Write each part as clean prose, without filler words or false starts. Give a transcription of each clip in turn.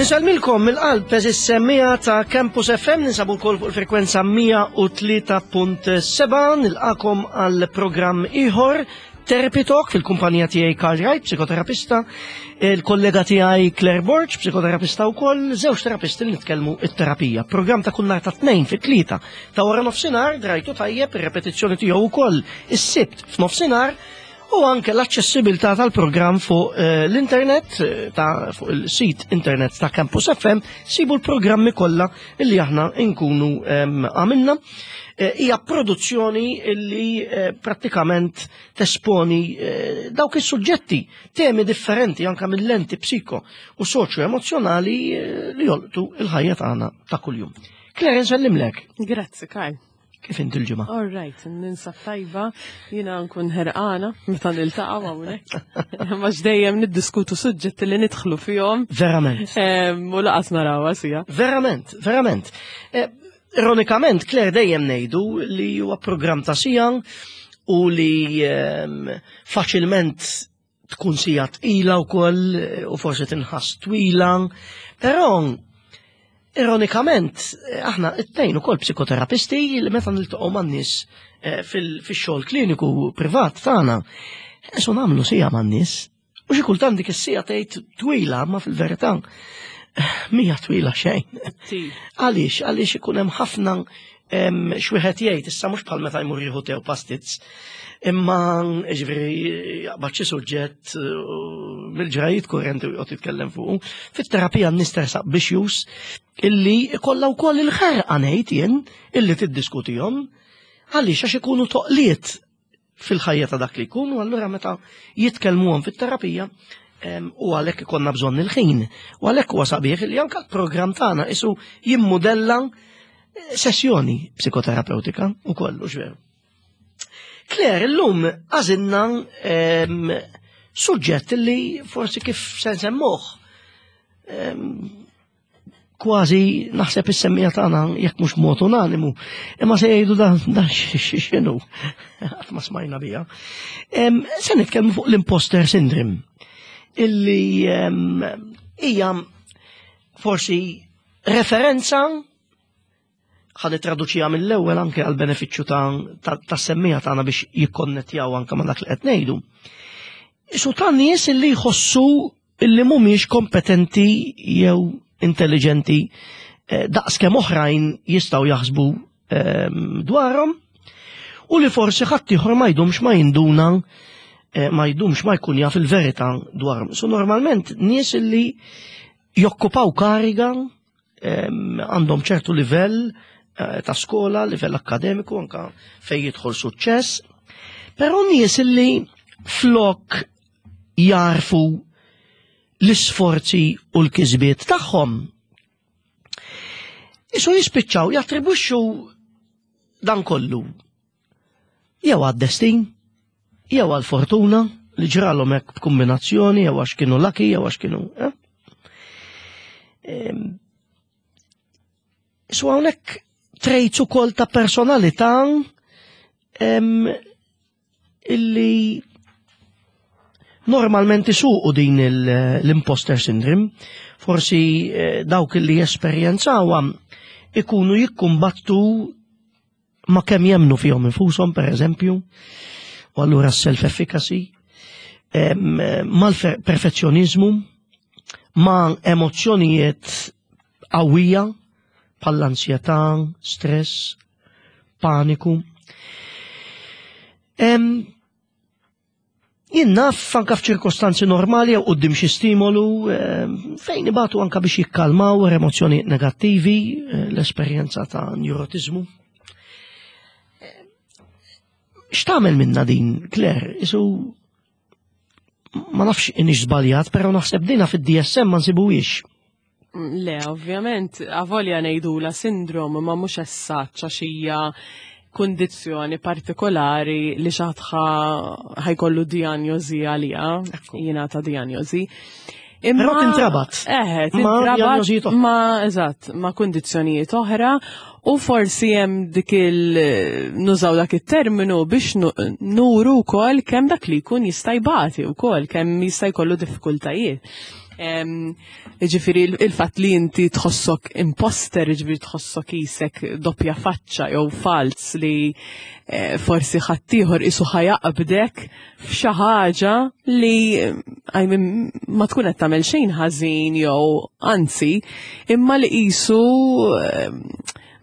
Insellmilkom mill-qalb eżis semmija ta' Campus FM ninsabu wkoll fuq il-frekwenza 103.7 nilqakom għal programm ieħor Therapy Talk fil-kumpanija tiegħi Karl Wright, psikoterapista, il-kollega tiegħi Claire Borg, psikoterapista wkoll, żewġ terapisti li nitkellmu it-terapija. Programm ta' kull nhar ta' tnejn fit-tlieta ta' wara nofsinhar drajtu tajjeb ir-repetizzjoni tiegħu wkoll is-Sibt f'nofsinhar u anke l-aċċessibilità tal-programm fuq eh, l-internet eh, ta' fuq il-sit internet ta' Campus FM sibu l-programmi kollha illi aħna nkunu għamilna. Eh, hija produzzjoni illi prattikament tesponi dawk is-suġġetti, temi differenti anke mill-lenti psiko u soċjo emozjonali li jolqtu il-ħajja tagħna ta' kuljum. Claire, nsellimlek. Grazzi, Karl. Kif inti l-ġimgħa? All right, ninsab tajba, jiena nkun ħerqana meta niltaqgħu hawnhekk. Ma dejjem niddiskutu suġġetti li nidħlu fihom. Verament. U laqas narawha sija. Verament, verament. Eh, ironikament, Claire dejjem ngħidu li huwa programm ta' sija u li faċilment tkun sija tqila wkoll eh, u forsi tinħass twila, però ironikament eh, aħna it-tnejn ukoll psikoterapisti li meta niltaqgħu man-nies eh, fix-xogħol kliniku privat tagħna, eso nagħmlu sija man-nies. U xi kultant dik is-sija tgħid twila, ma fil-verità mija twila xejn. Għaliex, għaliex ikun hemm ħafna x'wieħed jgħid issa mhux bħal meta jmur jieħu tew pastizz, imma ġifieri jaqbad xi suġġett mill-ġrajiet kurrenti u joqgħod jitkellem fuq. Fit-terapija n-nies tersaq biex jus illi ikollha wkoll il-ħerqa ngħid jien illi tiddiskutihom għaliex għax ikunu toqliet fil-ħajja ta' dak li jkun u allura meta jitkellmuhom fit-terapija u għalhekk ikollna bżonn il-ħin. U għalhekk huwa sabiħ li anke l-programm tagħna isu jimmudella eh, sessjoni psikoterapeutika u kollu veru. Claire, illum għażilna suġġett li forsi kif se nsemmuh kważi naħseb is-semmija tagħna jekk mhux mod unanimu, imma se jgħidu dan dan x'inhu qatt ma smajna biha. Se nitkellmu fuq l-imposter syndrome illi hija forsi referenza ħa nittraduċiha mill-ewwel anke għal benefiċċju ta' semmija tagħna biex jikkonnettjaw anke ma' dak li qed ngħidu. Isu ta' nies illi jħossu illi mhumiex kompetenti jew intelligenti eh, daqs kemm oħrajn jistgħu jaħsbu ehm, dwarhom u li forsi ħadd ieħor ma jdumx ma jinduna eh, ma jdumx ma jkun jaf il-verità dwarhom. So normalment nies illi jokkupaw kariga għandhom ċertu livell eh, ta' skola, livell akademiku, anka fej jidħol suċċess, però nies illi flok jarfu l-isforzi u l-kisbiet tagħhom. Isu jispiċċaw jattribwixxu dan kollu jew għad-destin, jew għall-fortuna li ġralhom hekk b'kombinazzjoni, jew għax kienu lucky, jew għax kienu. Eh? Su hawnhekk traits ukoll ta' personalità illi normalment isuqu din l-imposter syndrome, forsi eh, dawk illi jesperjenzawha ikunu jikkumbattu ma kemm jemnu fihom infushom, per eżempju, u allura self-efficacy, mal-perfezzjonizmu, ma' emozzjonijiet qawwija bħall-ansjetà, stress, paniku. Jien naf anka f'ċirkostanzi normali jew quddiem xi stimolu ehm, fejn ibatu anka biex jikkalmaw emozzjonijiet negattivi, eh, l-esperjenza ta' neurotiżmu. Eh, x'tagħmel minna din, Claire? Isu ma nafx inix żbaljat, però naħseb dina fid-DSM ma nsibuhiex. Le, ovvjament, avolja ngħidula sindrom ma mhux essaċ għax hija kundizzjoni partikolari li xaħtħa ħajkollu diagnosi għalija, jingħata diagnosi. Imma Però tintrabat. Eh, tintrabat ma eżatt, ma kundizzjonijiet oħra u forsi hemm dik il nużaw dak it-terminu biex nuru wkoll kemm dak li jkun jista' jbati wkoll kemm jista' jkollu diffikultajiet. Ġifieri il-fatt li inti tħossok imposter, ġifieri tħossok isek doppja faċċa jew falz li eh, forsi ħaddieħor isu ħajaqbdek f'xi ħaġa li I mean, ma tkun qed tagħmel xejn ħażin jew anzi, imma li qisu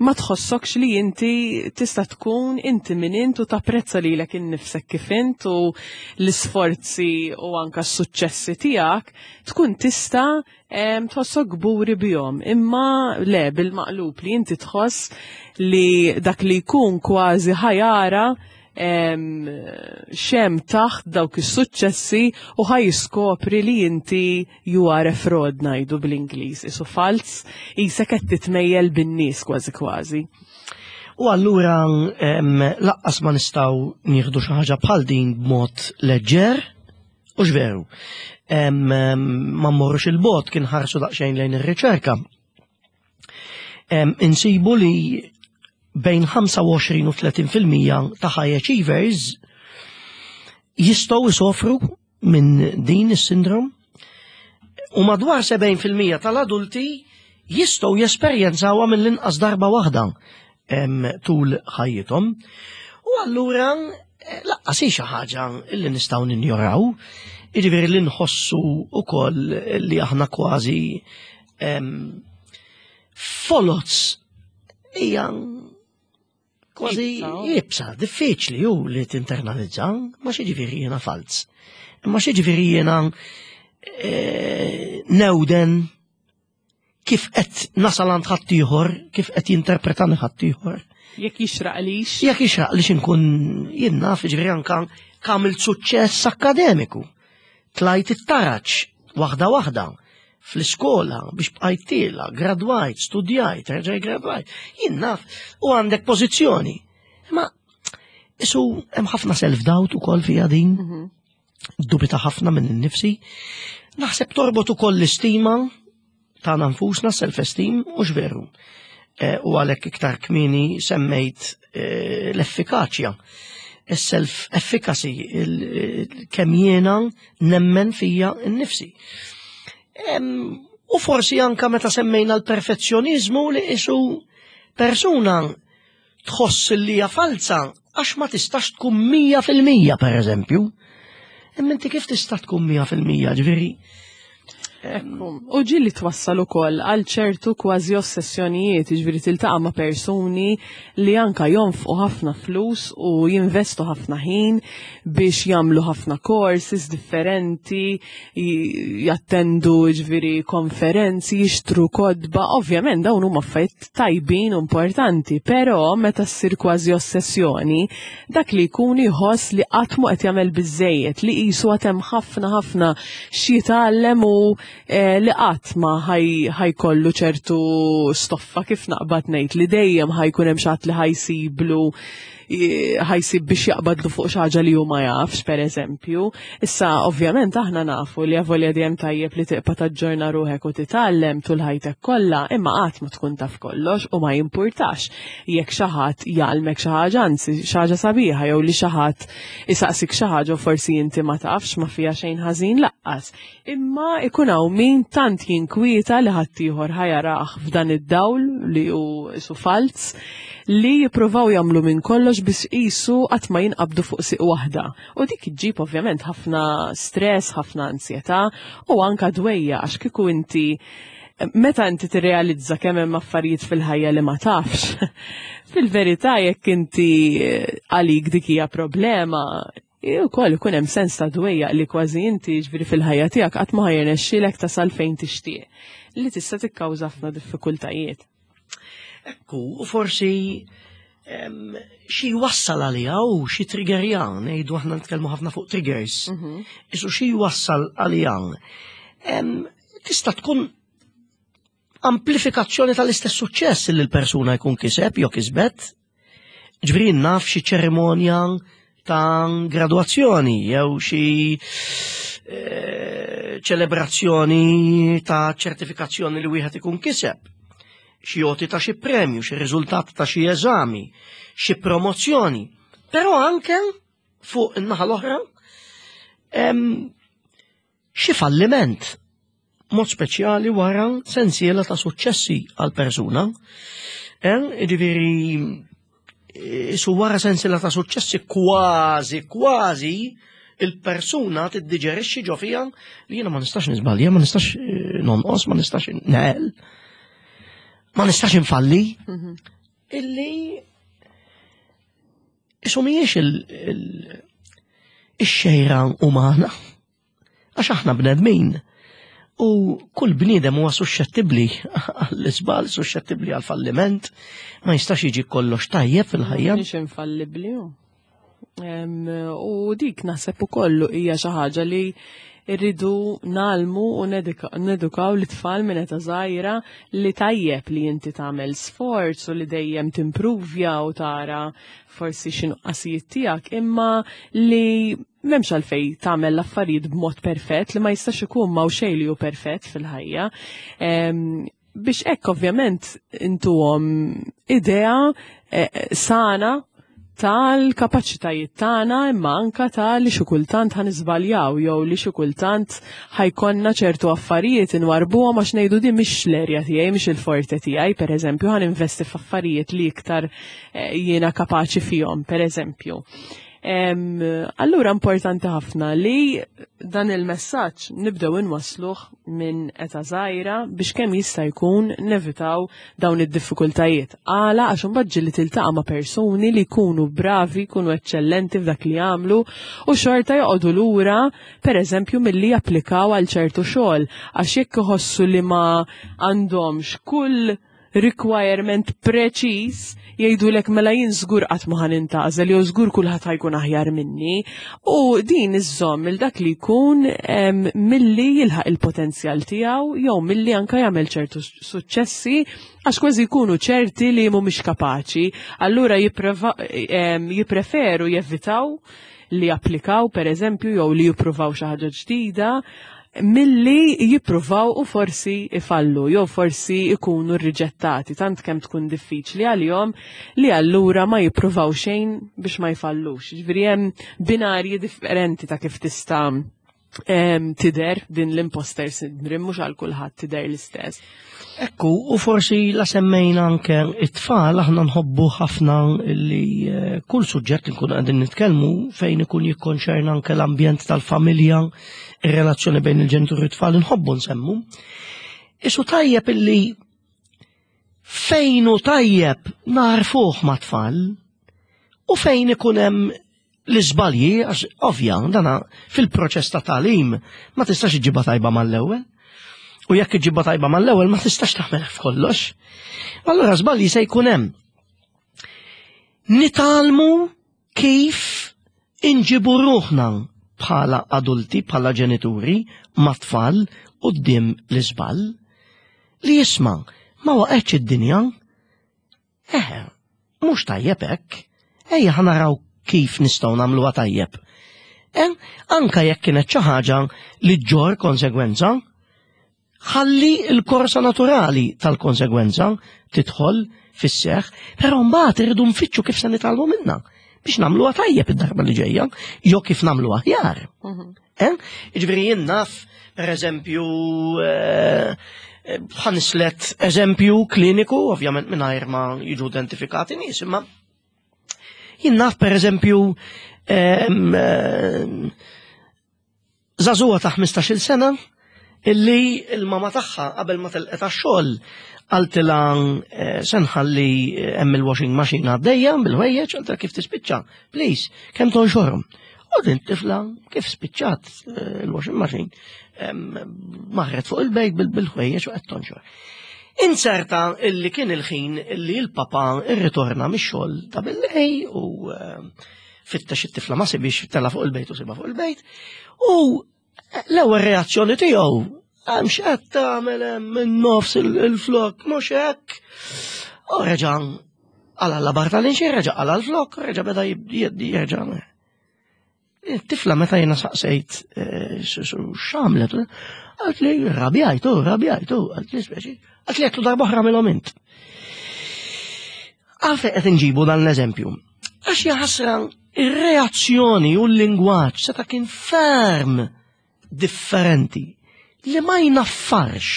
ma tħossokx li inti tista' tkun inti min int u tapprezza lilek innifsek kif int u l-isforzi u anka s-suċċessi tiegħek tkun tista' tħossok kburi bihom. Imma le bil-maqlub li inti tħoss li dak li jkun kważi ħajara xem taħt dawk is-suċċessi u ħaj jiskopri li inti you are a fraud ngħidu bl-Ingliż, isu falz, isek qed titmejjel bin-nies kważi kważi. U allura laqqas ma nistgħu nieħdu xi ħaġa bħal din b'mod leġġer, u x'veru. Ma mmorrux il-bot kien ħarsu daqsxejn lejn ir-riċerka. Insibu li bejn 25 u 30% ta' high achievers jistgħu jsofru minn din is-sindrom u madwar 70% tal-adulti jistgħu jesperjenzawha mill-inqas darba waħda tul ħajjithom. U allura eh, laqqas hi xi ħaġa li nistgħu ninjoraw, jiġifieri li nħossu wkoll li aħna kważi folots hija kważi jibsa, diffiċli ju li tinternalizza, ma xi ġifieri jiena falz. Ma xi ġifieri jiena eh, newden kif qed nasal għand ħaddieħor, kif qed jinterpretani ħaddieħor. Jekk jixraqlix. Jekk jixraqlix inkun jien naf ġifieri anka kamilt suċċess akkademiku. Tlajt it-taraġ waħda waħda fl-iskola biex bqajt tiela, gradwajt, studjajt, reġaj gradwajt. Jien naf u għandek pożizzjoni. Ma isu hemm ħafna self-doubt ukoll fija din. Mhm. Dubita ħafna minn innifsi. Naħseb torbot ukoll l-istima tagħna nfusna self-esteem u veru. Eh, u għalhekk iktar kmieni semmejt eh, l-effikaċja self-efficacy, kemm jiena nemmen fija nnifsi. U forsi anka meta semmejna l-perfezzjonizmu li isu persuna tħoss li hija falza għax ma tistax tkun 100% per eżempju. Imma inti kif tista' tkun 100% ġifieri? Ekku, u ġili twassal ukoll għal ċertu kważi ossessjonijiet, jiġifieri tiltaqa' ma' persuni li anka jonfqu ħafna flus u jinvestu ħafna ħin biex jagħmlu ħafna courses differenti, jattendu jiġifieri konferenzi, jixtru kotba, ovvjament dawn huma affarijiet tajbin u importanti, però meta ssir kważi ossessjoni, dak li jkun jħoss li qatt mhu qed jagħmel biżżejjed, li qisu għad hemm ħafna ħafna x'jitgħallem u eh, li qatt ma ħajkollu ċertu stoffa kif naqbad ngħid li dejjem ħajkun hemm xi ħadd li ħajsiblu ħajsib biex jaqbadlu fuq xi ħaġa li hu ma jafx, pereżempju. Issa, ovvjament, aħna nafu li avolja dejjem tajjeb li tiqpa' taġġorna ruħek u titgħallem tul ħajtek kollha, imma qatt ma tkun taf kollox u ma jimpurtax jekk xi ħadd jgħallmek xi ħaġa, anzi xi ħaġa sabiħa jew li xi ħadd isaqsik xi ħaġa u forsi inti ma tafx ma fiha xejn ħażin laqqas. Imma ikun hawn min tant jinkwieta li ħaddieħor ħa jarah f'dan id-dawl li hu qisu falz li jippruvaw jagħmlu minn kollox biex qisu qatt ma jinqabdu fuq sieq waħda. U dik iġġib ovvjament ħafna stress, ħafna ansjetà u anka dwejja għax kieku inti meta inti tirrealizza kemm hemm affarijiet fil-ħajja li ma tafx, fil-verità jekk inti għalik dik hija problema, Ukoll ikun hemm sens ta' dwejjaq li kważi inti ġifieri fil-ħajja tiegħek qatt ma ħajrnexxielek tasal fejn tixtieq, li tista' tikkawża ħafna diffikultajiet. Ekku, u forsi xi jwassal għaliha u xi triggerja, ngħidu aħna nitkellmu ħafna fuq triggers. Mhm. Isu xi jwassal għaliha. Tista' tkun amplifikazzjoni tal-istess suċċess li l-persuna jkun kiseb jew kisbet. Ġifieri naf xi ċerimonja ta' graduazzjoni jew xi eh, ċelebrazzjoni ta' ċertifikazzjoni li wieħed ikun kiseb, xi għoti ta' xi premju, xi riżultat ta' xi eżami, xi promozzjoni. Però anke fuq in-naħa l-oħra xi falliment. Mod speċjali wara sensiela ta' suċċessi għal persuna. Eh, ġifieri eh, su wara sensiela ta' suċċessi kważi kważi il-persuna tiddiġerixxi ġo fija li jiena ma nistax niżbalja, ma nistax eh, nonqos, ma nistax neħel, ma nistax infalli. Mhm. Illi isu mhijiex il-xejra umana. Għax aħna bnedmin. U kull bniedem huwa suxxettibbli għall-iżball, suxxettibbli għall-falliment, ma jistax jiġi kollox tajjeb fil-ħajja. Mhix infallibbli. U dik naħseb ukoll hija xi ħaġa li rridu nalmu u nedukaw l-tfal minn età żgħira li tajjeb li inti tagħmel sforz u li dejjem timpruvja u tara forsi xi nuqqasijiet tiegħek, imma li m'hemmx għalfejn tagħmel l-affarijiet b'mod perfett li ma jistax ikun ma xejn li hu perfett fil-ħajja. Biex hekk ovvjament intuhom idea eh, sana tal-kapaċitajiet tagħna imma anka ta' li xi kultant ħa niżbaljaw jew li xi kultant ħajkonna ċertu affarijiet inwarbuhom għax ngħidu din mhix l-erja tiegħi, mhix il-forte tiegħi, pereżempju, ħa ninvesti f'affarijiet li iktar eh, jiena kapaċi fihom, pereżempju. Allura importanti ħafna li dan il-messaġġ nibdew inwassluh minn eta żgħira biex kemm jista' jkun nevitaw dawn id-diffikultajiet. Għala għax imbagħad ġieli tiltaqa' ma' persuni li jkunu bravi, jkunu eċċellenti f'dak li jagħmlu u xorta joqogħdu lura pereżempju milli japplikaw għal ċertu xogħol għax jekk iħossu li ma għandhomx kull requirement preċiż jgħidulek mela jien żgur qatt ma ħa nintgħażel jew żgur kulħadd ħajkun aħjar minni. U din iżżomm il dak li jkun milli jilħaq il-potenzjal tiegħu jew milli anka jagħmel ċertu suċċessi għax kważi jkunu ċerti li mhumiex kapaċi. Allura jippreferu jevitaw li japplikaw per eżempju jew li jippruvaw xi ħaġa ġdida milli jippruvaw u forsi ifallu jew forsi ikunu rriġettati tant kemm tkun diffiċli għalihom li allura ma jippruvaw xejn biex ma jfallux. Ġifieri hemm binarji differenti ta' kif tista' tidher din l-imposter syndrome mhux għal kulħadd tidher l-istess. Ekku, u forsi la semmejna anke it-tfal aħna nħobbu ħafna li eh, kull suġġett li nkunu qegħdin nitkellmu fejn ikun jikkonċerna anke l-ambjent tal-familja, ir-relazzjoni bejn il-ġenituri u t-tfal nħobbu nsemmu. Isu tajjeb illi fejn hu tajjeb narfuh ma' tfal u fejn ikun hemm l-iżbalji, għax ovvja, dana fil-proċess ta' tagħlim ma tistax iġibha tajba mal-ewwel. U jekk iġibha tajba mal-ewwel ma tistax tagħmel f'kollox. Allura żbalji se jkun hemm. Nitgħallmu kif inġibu ruħna bħala adulti, bħala ġenituri, ma' tfal quddiem l-iżball li jisma' ma waqgħetx id-dinja. Eħe, mhux tajjeb hekk. Ejja ħa naraw kif nistgħu nagħmluha tajjeb. Eh, anka jekk kienet xi ħaġa li ġġor konsegwenza, ħalli l-korsa naturali tal-konsegwenza tidħol fis-seħ, però mbagħad irridu nfittxu kif se nitgħallmu minnha biex nagħmluha tajjeb id-darba li ġejja, jew kif nagħmlu aħjar. Mhm. Eh? Jiġifieri jien naf, pereżempju, eh, ħanislet eżempju kliniku, ovvjament mingħajr ma jiġu identifikati nies, imma jien naf pereżempju eh, żagħżugħa ta' 15-il sena illi il-mama tagħha qabel ma telqet għax-xogħol qaltilha eh, se nħalli eh, hemm il-washing machine għaddejja bil-ħwejjeġ qaltilha kif tispiċċa, please, kemm tonxorhom. U din tifla kif spiċċat eh, il-washing machine marret fuq il-bejt bil-ħwejjeġ u qed tonxor. Inserta illi kien il-ħin illi l-papa irritorna mix-xogħol ta' billej u fittex it-tifla ma sibix tela fuq il-bejt u siba fuq il-bejt. U l-ewwel reazzjoni tiegħu hemm x'qed tagħmel hemm minn nofs il-flok mhux hekk. U reġa' għala l-labar tal-inxi, reġa' għala l-flok, reġa' beda jerġa' Tifla meta jiena saqsejt eh, x'għamlet, għalt li rabjajtu, rabjajtu, għalt li speċi, għalt li għetlu darba oħra minnhom int. Għalfejn qed inġibu dan l-eżempju? Għax jaħasra ir-reazzjoni u l-lingwaġġ seta' kien ferm differenti. li ma jnaffarx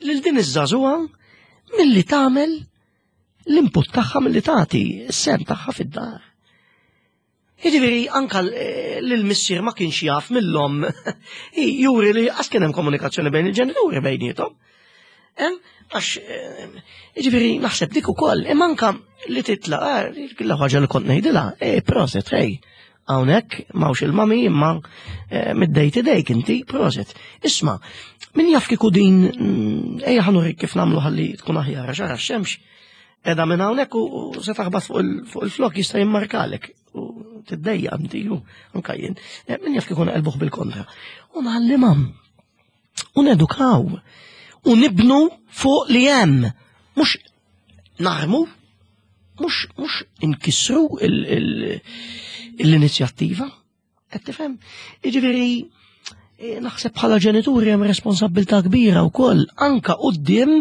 lil din iż-żagħżugħa milli tagħmel l-input tagħha milli tagħti s-sehem tagħha fid-dar. Jiġifieri anka l-missier ma kienx jaf mill-omm juri li għax kien hemm komunikazzjoni bejn il-ġenituri bejniethom. Għax jiġifieri naħseb dik ukoll, imma anka li titla' l ħaġa li kont ngħidilha, eh proset, hej, hawnhekk m'hawnx il-mami imma middejt idejk inti, proset. Isma', min jaf kieku din ejja ħa nurik kif nagħmlu ħalli tkun aħjar għax ara x-xemx edha minn hawnhekk u se taħbat fuq il-flok jista' jimmarkalek u tiddejja inti u anka jien. Min jaf kieku naqilbuh bil-kontra. U ngħallimhom. U nedukaw. U nibnu fuq li hemm. Mhux narmu, mhux inkissru l-inizjattiva. Qed tifhem? Jiġifieri naħseb bħala ġenituri hemm responsabbiltà kbira wkoll anka quddiem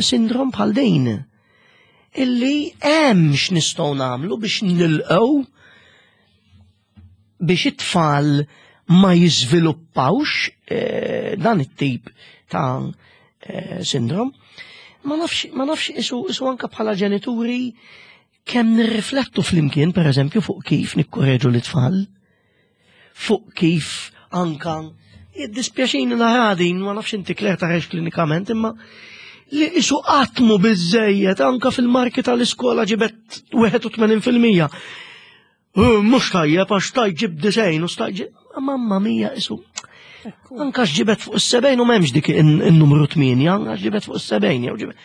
sindrom bħal din. Illi hemm x'nistgħu nagħmlu biex nilqgħu biex it-tfal ma jiżviluppawx dan it-tip ta' sindrom. Ma nafx, ma nafx isu anka bħala ġenituri kemm nirriflettu flimkien, per eżempju, fuq kif nikkoreġu l-tfal, fuq kif anka jiddispjaċini nara din, ma nafx inti Claire tarax klinikament, imma li isu qatmu biżejjed anka fil-marki tal-iskola ġibet 81%. Mhux tajjeb għax stajt ġib 90 u stajt ġib. Mamma mia isu. Anka x'ġibet fuq is-70 u m'hemmx dik in-numru 8, anka x'ġibet fuq is-70 jew ġibet.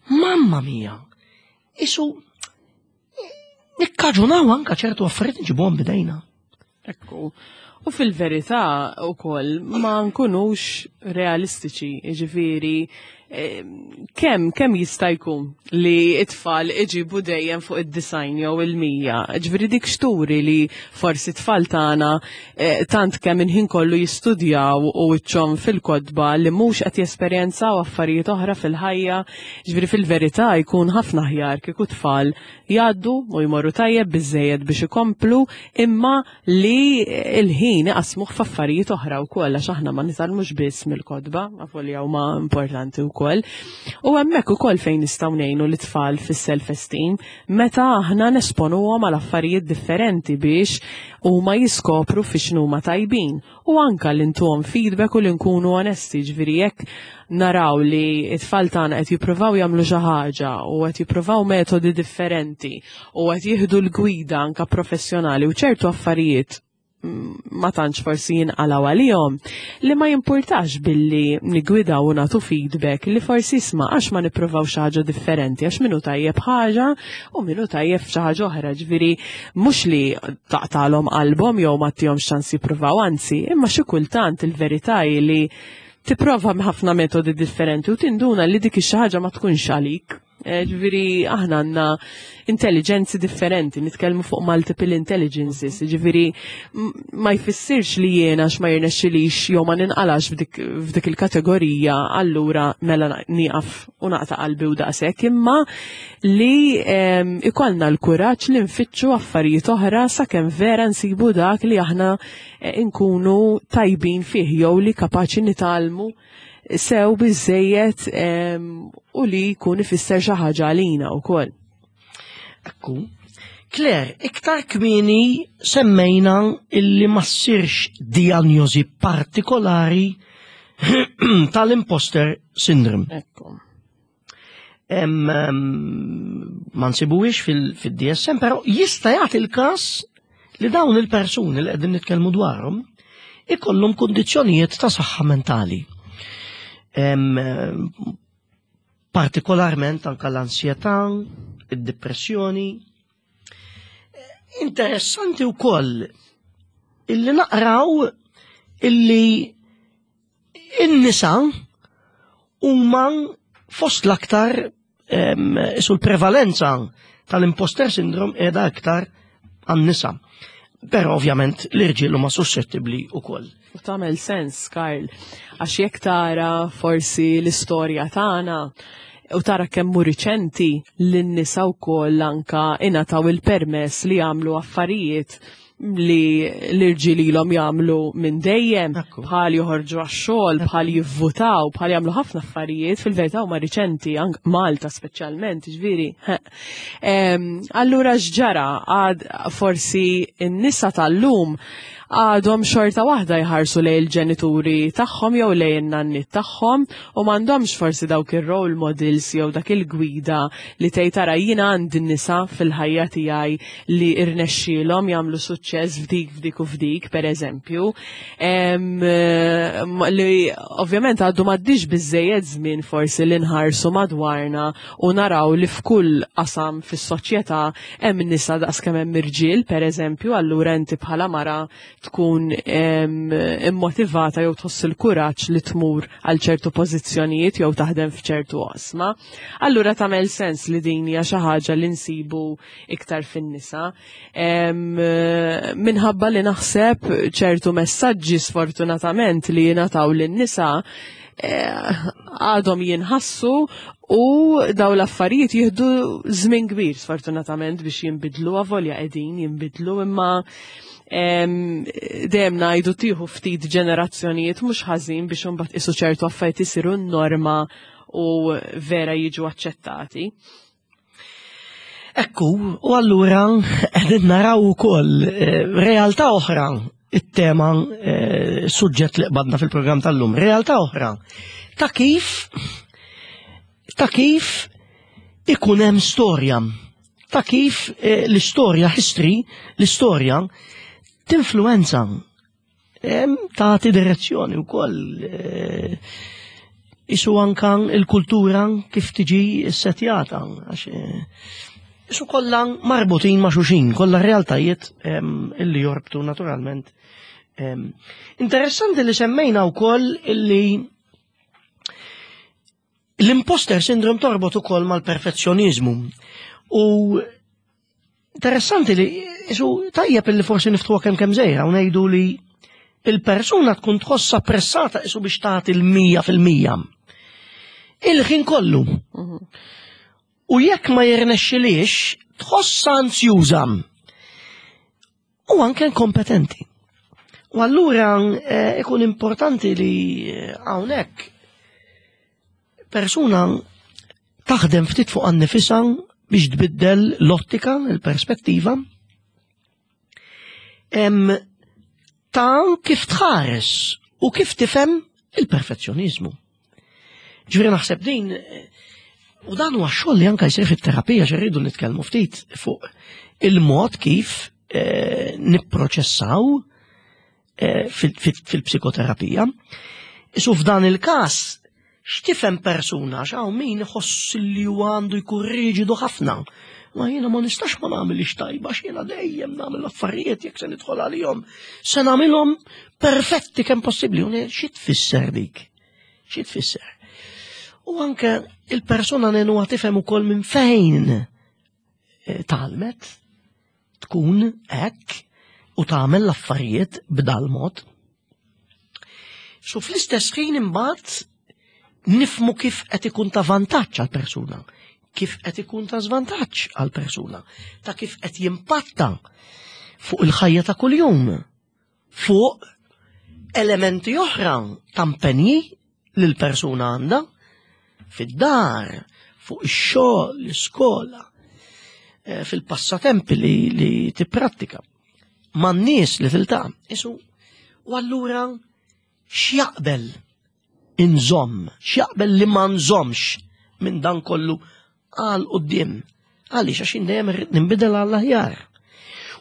Mamma mia. Isu nikkaġunaw anka ċertu affarijiet nġibuhom bidejna. Ekku. U fil-verità ukoll ma nkunux realistiċi, jiġifieri kemm jista' jkun li it-tfal iġibu dejjem fuq id-90 jew il-100. Ġifieri dik xturi li forsi t-tfal tagħna tant kemm inħin kollu jistudjaw u wiċċhom fil-kotba li mhux qed jesperjenzaw affarijiet oħra fil-ħajja. Ġifieri fil-verità jkun ħafna aħjar kieku tfal jgħaddu u jmorru tajjeb biżejjed biex ikomplu imma li il-ħin iqasmuh f'affarijiet oħra wkoll għax aħna ma nitgħallmux biss mill-kotba, avolja huma importanti wkoll. U hemmhekk ukoll fejn nistgħu ngħinu l-tfal fis-self-esteem meta aħna nesponuhom għal affarijiet differenti biex huma jiskopru fi x'numa tajbin u anka li ntuhom feedback u li nkunu onesti, ġifieri jekk naraw li it-tfal tagħna qed jippruvaw jagħmlu xi ħaġa u qed jippruvaw metodi differenti u qed jieħdu l-gwida anka professjonali u ċertu affarijiet ma tantx forsi jinqalgħu għalihom, li ma jimpurtax billi nigwidaw u nagħtu feedback li forsi isma' għax ma nippruvaw xi ħaġa differenti, għax minnu tajjeb ħaġa u minnu tajjeb xi ħaġa oħra, ġifieri mhux li taqtalhom qalbhom jew ma tihomx ċans jippruvaw, anzi, imma xi kultant il-verità hi li tipprova ħafna metodi differenti u tinduna li dik ix-xi ħaġa ma tkunx għalik. Ġifieri aħna għandna intelligenzi differenti, nitkellmu fuq multiple intelligences, ġifieri ma jfissirx li jiena ma jirnexxilix jew ma ninqalax f'dik il-kategorija, allura mela nieqaf u naqta' qalbi u daqshekk, imma li ikollna l-kuraġġ li nfittxu affarijiet oħra sakemm vera nsibu dak li aħna nkunu tajbin fih jew li kapaċi nitgħallmu sew biżejjed u li jkun ifisser xi ħaġa għalina wkoll. Ekku. Claire, iktar kmieni semmejna illi ma ssirx diagnosi partikolari tal-imposter syndrome. Ekku. Ma nsibuhiex fil-DSM, però jista' jagħti l-każ li dawn il-persuni li qegħdin nitkellmu dwarhom ikollhom kundizzjonijiet ta' saħħa mentali. Partikolarment anka l-ansjetà, id-depressjoni. Interessanti wkoll illi naqraw illi in-nisa huma fost l-aktar sul prevalenza tal-imposter syndrome qiegħda aktar għan-nisa. Però ovvjament l-irġiel huma suscettibbli wkoll. U tagħmel sens, Karl, għax jekk tara forsi l-istorja tagħna u tara kemm hu riċenti li n-nisa wkoll anka ingħataw il-permess li jagħmlu affarijiet. li l-irġiel ilhom jagħmlu minn dejjem, bħal joħorġu għax-xogħol, bħal jivvutaw, bħal jagħmlu ħafna affarijiet, fil-verità huma riċenti, anke Malta speċjalment, ġifieri. Allura x'ġara għad forsi n-nisa tal-lum għadhom xorta waħda jħarsu lejn il-ġenituri tagħhom jew lejn in-nanniet tagħhom u m'għandhomx forsi dawk ir-role models jew dak il-gwida li tgħid tara jiena għandi nisa fil-ħajja tiegħi li rnexxielhom jagħmlu suċċess f'dik f'dik u f'dik, pereżempju, li ovvjament għadu m'għaddix biżejjed żmien forsi li nħarsu madwarna u naraw li f'kull qasam fis-soċjetà hemm nisa daqskemm hemm irġiel, pereżempju, allura inti bħala mara tkun immotivata jew tħoss il-kuraġġ li tmur għal ċertu pożizzjonijiet jew taħdem f'ċertu oqsma. Allura tagħmel sens li din hija xi ħaġa li nsibu iktar fin-nisa. Minħabba li naħseb ċertu messaġġi sfortunatament li jingħataw lin-nisa eh, għadhom jinħassu u daw l-affarijiet jieħdu żmien kbir sfortunatament biex jinbidlu avolja qegħdin jinbidlu imma dejjem ngħidu tieħu ftit ġenerazzjonijiet mhux ħażin biex imbagħad isu ċertu affarijiet isiru n-norma u vera jiġu aċċettati. Ekku, u allura qegħdin naraw ukoll eh, realtà oħra it-tema eh, suġġett li qbadna fil-programm tal-lum, realtà oħra ta' kif ta' kif ikun hemm storja, ta' kif eh, l-istorja history, l-istorja tinfluenza tagħti direzzjoni wkoll eh, isu anka il-kultura kif tiġi setjata għax eh, isu kollha marbutin ma' xuxin, kollha realtajiet illi jorbtu naturalment. Interessanti li semmejna wkoll illi L-imposter syndrome torbot ukoll mal-perfezzjonizmu. U interessanti li isu tajjeb li forsi niftħuha kemm kemm żejra u ngħidu li il-persuna tkun tħossha pressata isu biex tagħti l-100%. Il-ħin kollu. Mhm. U jekk ma jirnexxilix, tħossha anzjuża. U anke inkompetenti. U allura eh, ikun importanti li eh, hawnhekk persuna taħdem ftit fuq annifisa biex tbiddel l-ottika, il-perspettiva, ta' kif tħares u kif tifhem il-perfezzjonizmu. Ġifieri naħseb din u dan huwa xogħol li anke jsir fit-terapija xi rridu nitkellmu ftit fuq il-mod kif eh, nipproċessaw eh, fil-psikoterapija. Isu f'dan il-każ x'tifhem persuna x'hawn min iħoss li huwa għandu jkun riġidu ħafna. Ma jiena ma nistax ma nagħmilx tajba x'jiena dejjem nagħmel affarijiet jekk se nidħol għalihom. Se nagħmilhom perfetti kemm possibbli. U xi tfisser dik? Xi tfisser? U anke il-persuna nenuha tifhem ukoll minn fejn eh, talmet tkun hekk u tagħmel l-affarijiet b'dal mod. So fl-istess ħin imbagħad nifmu kif qed ikun ta' vantaġġ għal persuna, kif qed ikun ta' żvantaġġ għal persuna, ta' kif qed jimpatta fuq il-ħajja ta' kuljum, fuq elementi oħra ta' impenji li l-persuna għandha fid-dar, fuq ix-xogħol, l-iskola, eh, fil-passatempi li, li tipprattika, man-nies li tiltaqa'. Isu, u allura x'jaqbel inżomm, x'jaqbel li ma nżommx minn dan kollu għal quddiem. Għaliex għax dejjem irrid ninbidel għall aħjar.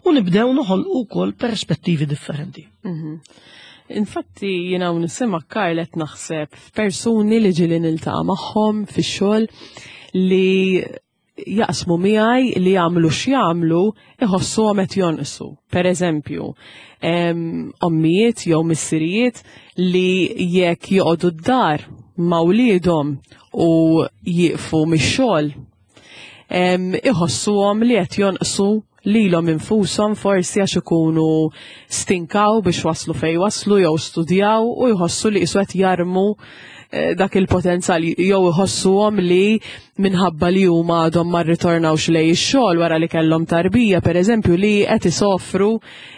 U nibdew noħolqu wkoll perspettivi differenti. Mhm. Infatti jiena nisema Karl qed naħseb f'persuni li ġieli niltaqa' magħhom fix-xogħol li jaqsmu miegħi li jagħmlu x'jagħmlu iħossuhom qed jonqsu. Per eżempju, ommijiet jew missirijiet li jekk joqogħdu d-dar ma' wliedhom u jieqfu mix-xogħol iħossuhom li qed jonqsu lilhom infushom forsi għax ikunu stinkaw biex waslu fejn waslu jew studjaw u jħossu li qisu qed jarmu. dak il-potenzjal jew iħossuhom li minħabba li huma għadhom ma rritornawx lej ix-xogħol wara li kellhom tarbija, pereżempju, li qed isofru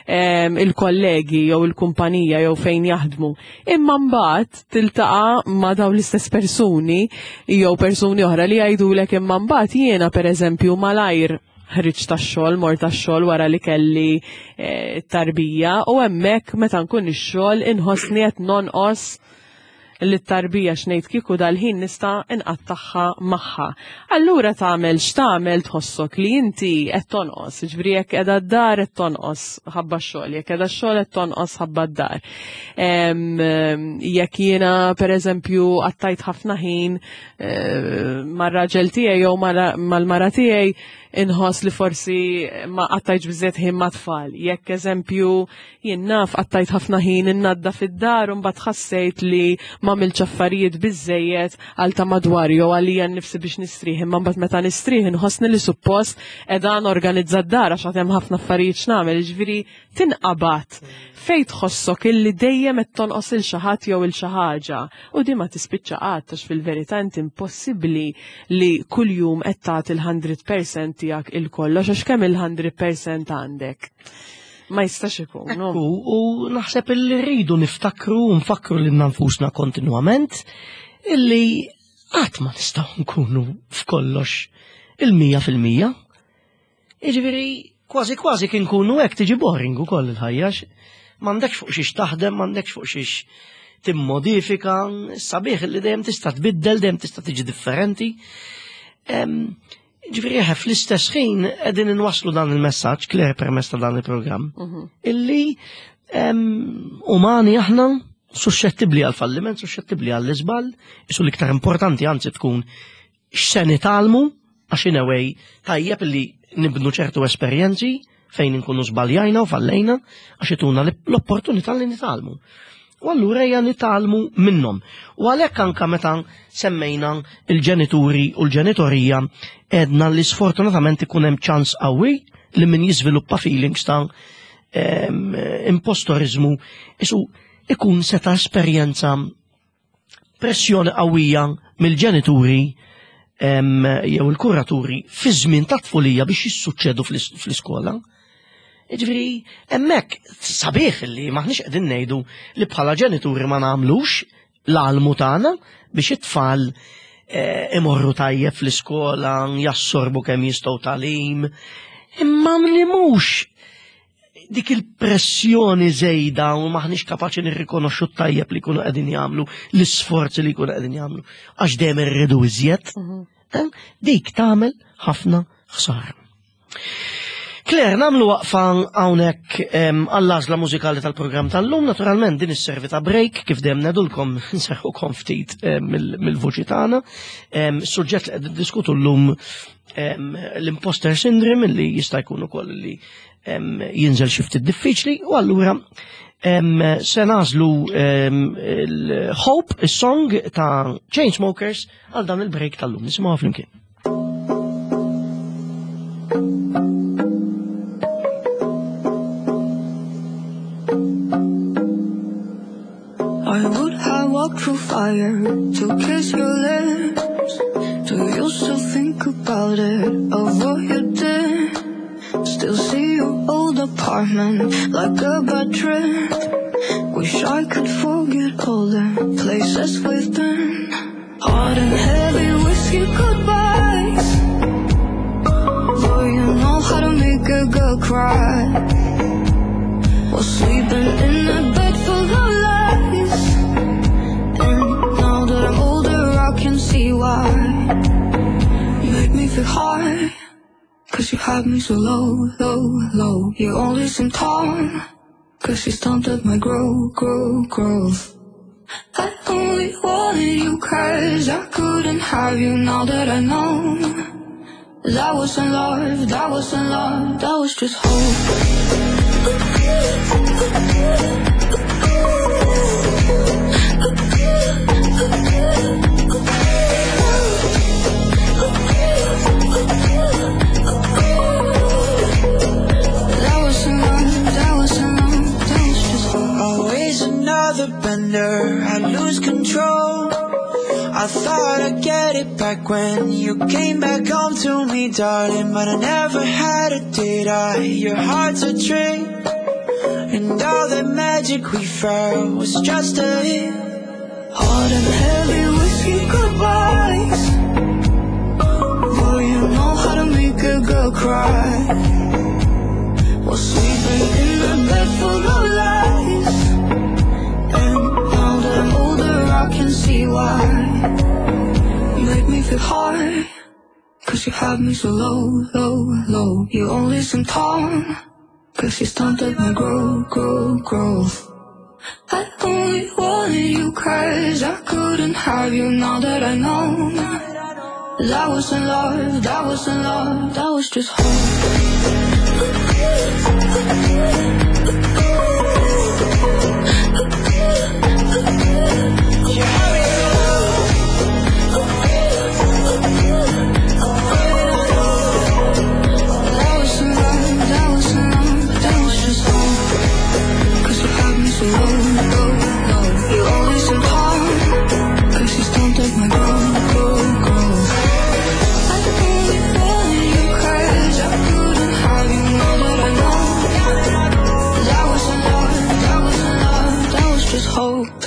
il-kollegi jew il-kumpanija jew fejn jaħdmu. Imma mbagħad tiltaqa' ma' dawn l-istess persuni jew persuni oħra li jgħidulek imma mbagħad jiena pereżempju malajr ħriġt tax-xogħol, mort tax-xogħol wara li kelli tarbija u hemmhekk meta nkun ix-xogħol inħossni qed nonqos li t-tarbija x'ngħid kieku dal-ħin nista' nqattagħha magħha. Allura tagħmel x'tagħmel tħossok li inti qed tonqos, jiġifieri jekk qiegħda d-dar qed tonqos ħabba x-xogħol, jekk qiegħda x-xogħol qed tonqos ħabba d-dar. Jekk jiena pereżempju qattajt ħafna ħin mar-raġel tiegħi jew mal-mara tiegħi inħoss li forsi ma qattajtx biżżejjed ħin mat-tfal. Jekk eżempju jien naf qattajt ħafna ħin innadda fid-dar u mbagħad ħassejt li ma għamiltx affarijiet biżżejjed għal ta' madwar jew għalija nnifsi biex nistrieħ, imma mbagħad meta nistrieħ inħossni li suppost qiegħda norganizza d-dar għax għad hemm ħafna affarijiet x'nagħmel, jiġifieri tinqabad fejn tħossok illi dejjem qed tonqos il xi ħadd jew il xi ħaġa u di ma tispiċċa qatt għax fil-verità inti impossibbli li kuljum qed tagħti il-100% tiegħek il kollox għax kemm il-100% għandek. Ma jistax ikun. Ekku, u naħseb illi rridu niftakru u nfakru lil nfusna kontinwament illi qatt ma nistgħu nkunu f'kollox il-100%. Jiġifieri kważi kważi kien kunu hekk tiġi boring ukoll il-ħajja. M'għandekx fuq xiex taħdem, m'għandekx fuq xiex timmodifika, sabiħ li dejjem tista' tbiddel, dejjem tista' tiġi differenti. Ġifieri eħe, fl-istess ħin qegħdin inwasslu dan il-messaġġ, Claire, permezz ta' dan il-programm, illi umani aħna suscettibbli għal falliment, suscettibbli għall iżball, isu l-iktar importanti anzi tkun x'se nitgħallmu, għax in a way tajjeb li nibnu ċertu esperjenzi fejn inkunu żbaljajna u fallejna, għax ituna l-opportunità li nitgħallmu. U allura ejja nitgħallmu minnhom. U għalhekk anka meta semmejna il-ġenituri u l-ġenitorija għedna li sfortunatament ikun hemm ċans qawwi li min jiżviluppa feelings ta' impostorizmu isu ikun seta' esperjenza pressjoni qawwija mill-ġenituri jew il-kuraturi fi żmien ta' tfulija biex jissuċċedu fl-iskola. Jiġifieri hemmhekk sabiħ li maħniex qegħdin ngħidu li bħala ġenituri ma nagħmlux l-almu tagħna biex it-tfal imorru tajjeb fl-iskola, jassorbu kemm jistgħu tagħlim, imma li mhux dik il-pressjoni żejda u maħniex kapaċi nirrikonoxxu t-tajjeb li jkunu qegħdin jagħmlu, l-isforzi li jkunu qegħdin jagħmlu, għax dejjem irridu iżjed. Dik tagħmel ħafna ħsara. Claire, nagħmlu waqfa hawnhekk għall-għażla mużikali tal-programm tal-lum, naturalment din isservi ta' break kif dejjem ngħidulkom nserħukom ftit mill-vuċi tagħna. Suġġett li qed niddiskutu llum l-imposter syndrome li jista' jkun ukoll li jinżel xi ftit diffiċli, u allura se nagħżlu il-Hope, is-song ta' Chainsmokers għal dan il-break tal-lum. Nisimgħuha flimkien. I would have walked through fire to kiss your lips. Do you still think about it, of what you did? Still see your old apartment like a bad trip. Wish I could forget all the places we've been. Hot and heavy whiskey goodbyes. Boy, you know how to make a girl cry. While sleeping in a bed full of lies. And now that I'm older, I can see why. You make me feel high, because you had me so low, low, low. You only seem tall, because you stunted my growth, growth, growth. I only wanted you because I couldn't have you. Now that I know that wasn't love, that wasn't love, that was just hope. That wasn't love, that wasn't love, that was just hope. Always another bender, I lose control. back when you came back home to me, darling. But I never had it, did I? Your heart's a trick, and all the magic we felt was just a hit. Hard and heavy whiskey goodbyes. Boy, you know how to make a girl cry. While sleeping in a bed full of lies. And now that I'm older, I can see why. You make me feel hard. Cause you have me so low, low, low. You only seem tall. Cause you stunted my growth, growth, growth. I only wanted you cause I couldn't have you now that I know. That wasn't love, that wasn't love, that was just hope. You had me so low. That wasn't love, that wasn't love, that was just hope. Cause you had me so low, low, low. You only seem tall. Cause you stunted my growth, growth, growth. I only wanted you 'cause I couldn't have you now that I know. That wasn't love, that wasn't love, that was just hope.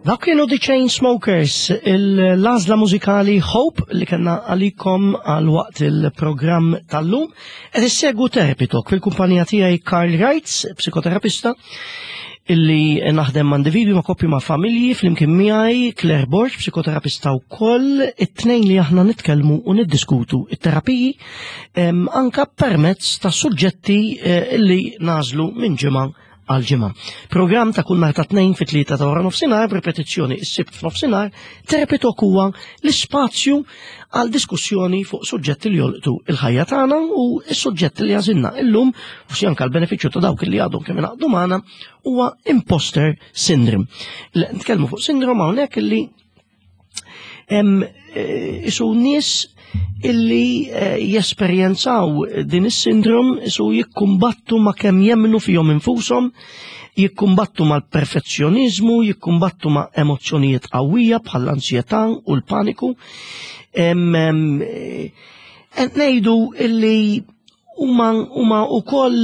Dak kienu The Chainsmokers, l-għażla mużikali Hope li kellna għalikom għal waqt il-programm tal-lum. Qed issegwu Therapy Talk fil-kumpanija tiegħi Karl Reitz, psikoterapista, illi naħdem ma' individwi ma' koppji ma' familji flimkien miegħi Claire Borg, psikoterapista wkoll, it-tnejn li aħna nitkellmu u niddiskutu it-terapiji anka permezz ta' suġġetti illi nagħżlu minn ġimgħa għal ġimgħa. Programm ta' kull nhar ta' tnejn fit-3 ta' wara nofsinhar, b'ripetizzjoni s-Sibt f'nofsinhar, Therapy Talk huwa l-ispazju għal diskussjoni fuq suġġetti li jolqtu il-ħajja tagħna u s-suġġetti li għażilna illum, forsi anke l-benefiċċju ta' dawk li għadhom kemm ingħaqdu magħna, huwa imposter syndrome. Nitkellmu fuq sindrom hawnhekk illi hemm isu nies illi jesperjenzaw din is-sindrom isu jikkumbattu ma' kemm jemmnu fihom infushom, jikkumbattu mal-perfezzjonizmu, jikkumbattu ma' emozzjonijiet qawwija bħall-ansjetà u l-paniku. Qed ngħidu illi huma wkoll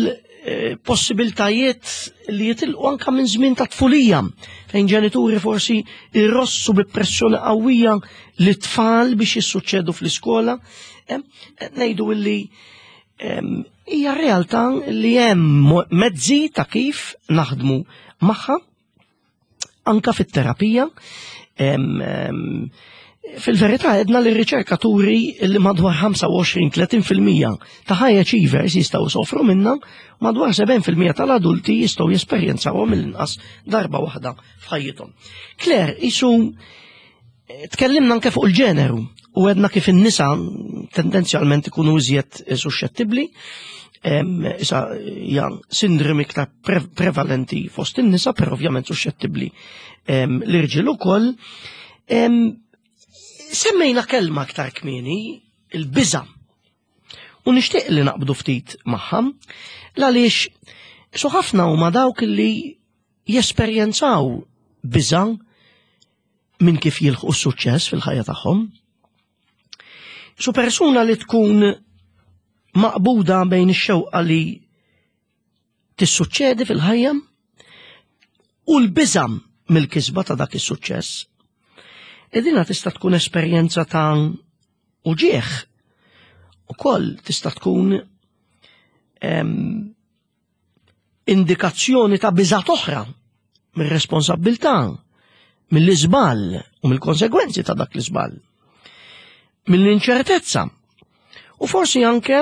possibiltajiet li jitilqu anka minn żmien ta' tfulija, fejn ġenituri forsi irrossu bi pressjoni qawwija li tfal biex jissuċċedu fl-iskola. Qed ngħidu illi hija realtà li hemm mezzi ta' kif naħdmu magħha anka fit-terapija. Fil-verità għedna li r-riċerkaturi li madwar 25-30% ta' high achievers jistgħu sofru minna, madwar 7% tal-adulti jistgħu jesperjenzawhom mill-inqas darba waħda f'ħajjithom. Claire, isu tkellimna anke fuq il-ġeneru u għedna kif in-nisa tendenzjalment ikunu iżjed suscettibbli, issa hija sindrom iktar prevalenti fost in-nisa, però ovvjament suscettibbli l-irġiel ukoll. Semmejna kelma aktar kmieni, il-biża'. U nixtieq li naqbdu ftit magħha, għaliex su ħafna huma dawk li jesperjenzaw biża' minn kif jilħqu s-suċċess fil-ħajja tagħhom. Su persuna li tkun maqbuda bejn ix-xewqa li tissuċċedi fil-ħajja u l-biża' mill-kisba ta' dak is-suċċess. Edina tista' tkun esperjenza ta' uġieħ ukoll tista' tkun indikazzjoni ta' biżat oħra mir-responsabbiltà, mill-iżball u mill-konsegwenzi ta' dak l-iżball, mill-inċertezza u forsi anke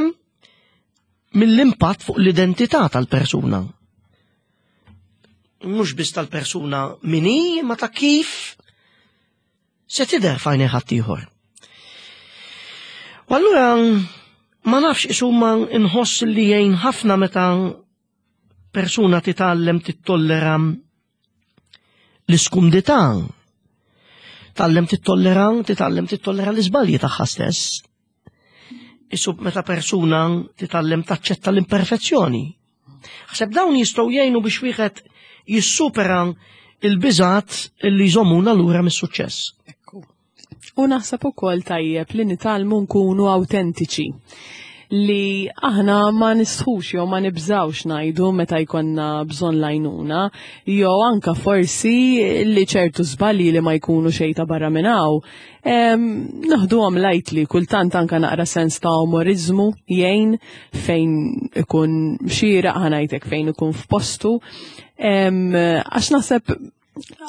mill-impatt fuq l-identità tal-persuna. Mhux biss tal-persuna min hi, ma ta' kif se tidher f'għajnejn ħaddieħor. U allura ma nafx isuma nħoss li jgħin ħafna meta persuna titgħallem tittollera l-iskumdità, tgħallem tittollera, titgħallem tittollera l-iżbalji tagħha stess. Isu meta persuna titgħallem taċċetta l-imperfezzjoni. Ħseb dawn jistgħu jgħinu biex wieħed jissupera il-biżat li jżommuna lura mis-suċċess. Ekku. U naħseb ukoll tajjeb li nitgħallmu nkunu awtentiċi li aħna ma nistħux jew ma nibżawx ngħidu meta jkollna bżonn lajnuna, jew anka forsi li ċertu żbalji li ma jkunu xejn ta' barra minn hawn, naħduhom lightly, kultant anka naqra sens ta' umorizmu jgħin fejn ikun xieraq ħanajtek fejn ikun f'postu. Għax naħseb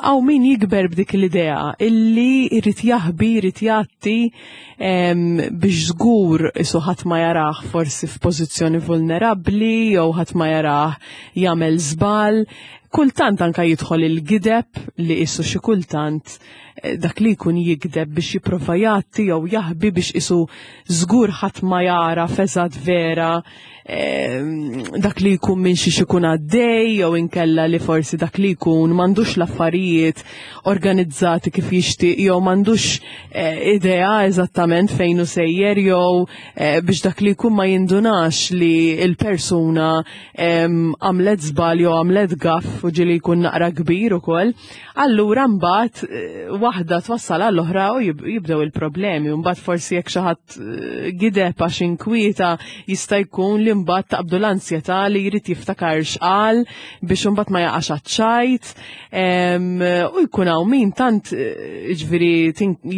għaw min jikber b'dik l-idea illi jrid jaħbi, jrid jgħatti biex żgur isu ħadd ma jarah forsi f'pożizzjoni vulnerabbli jew ħadd ma jarah jagħmel żball. Kultant anka jidħol il-gideb li isu xi kultant eh, dak li jkun jigdeb biex jipprova jgħatti jew jaħbi biex isu żgur ħadd ma jara feżat vera dak li jkun minn xiex ikun għaddej jew inkella li forsi dak li jkun m'għandux l-affarijiet organizzati kif jixtieq jew m'għandux eh, idea eżattament fejn hu sejjer jew eh, biex dak li jkun ma jindunax li l-persuna għamlet żball jew għamlet gaff u ġieli jkun naqra kbir ukoll. Allura mbagħad eh, waħda twassal għall-oħra u jibdew il-problemi. Mbagħad forsi jekk xi ħadd eh, gideb għax inkwieta jista' jkun li mbagħad taqbdu l-ansjetà li jrid jiftakar x'qal biex imbagħad ma jaqax għaċ-ċajt. U jkun hawn min tant eh, ġifieri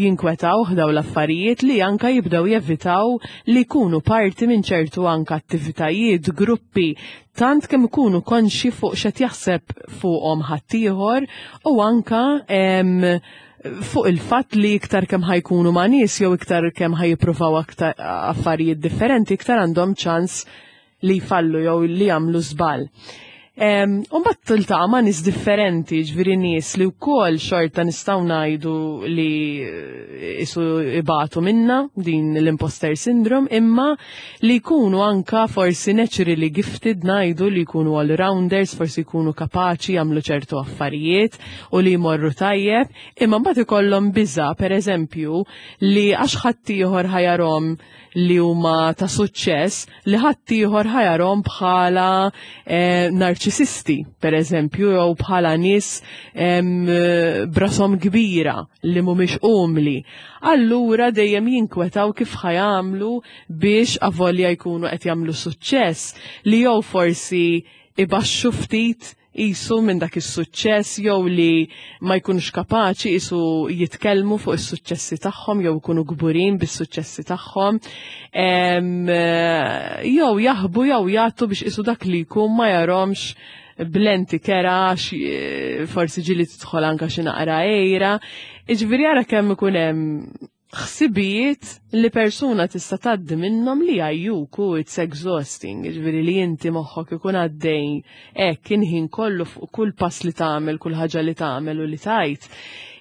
jinkwetaw daw l-affarijiet li anka jibdew jevitaw li jkunu parti minn ċertu anka attivitajiet, gruppi tant kemm ikunu konxi fuq x'qed jaħseb fuqhom ħaddieħor u anka fuq il-fatt li iktar kemm ħajkunu ma' nies jew iktar kemm ħajjippruvaw aktar affarijiet differenti iktar għandhom ċans li jfallu jew li jagħmlu żball. U mbagħad tiltaqa' ma' nies differenti, ġifieri nies li wkoll xorta nistgħu ngħidu li eh, isu ibatu minna din l-imposter syndrome, imma li jkunu anka forsi naturally gifted ngħidu li jkunu all-rounders, forsi jkunu kapaċi jagħmlu ċertu affarijiet u li jmorru tajjeb, imma mbagħad ikollhom biża' pereżempju li għax ħaddieħor ħajarhom li huma ta' suċċess li ħaddieħor ħajarhom bħala eh, narċisisti, per eżempju, jew bħala nies brasom kbira li mhumiex umli. Allura dejjem jinkwetaw kif ħajamlu biex avolja jkunu qed jagħmlu suċċess li jew forsi ibaxxu ftit qisu minn dak is-suċċess jew li ma jkunux kapaċi qisu jitkellmu fuq is-suċċessi tagħhom jew ikunu kburin bis-suċċessi tagħhom. Jew jaħbu jew jagħtu biex qisu dak li jkun ma jarhomx blenti kera, eh, forsi ġili tidħol anka xi naqra ejra. Iġifieri ara kemm ikun hemm ħsibijiet li persuna tista' tgħaddi minnhom li jgħajjuk u it's exhausting, jiġifieri li inti moħħok ikun għaddej hekk inħin kollu fuq kull pass li tagħmel, kull ħaġa li tagħmel u li tgħid.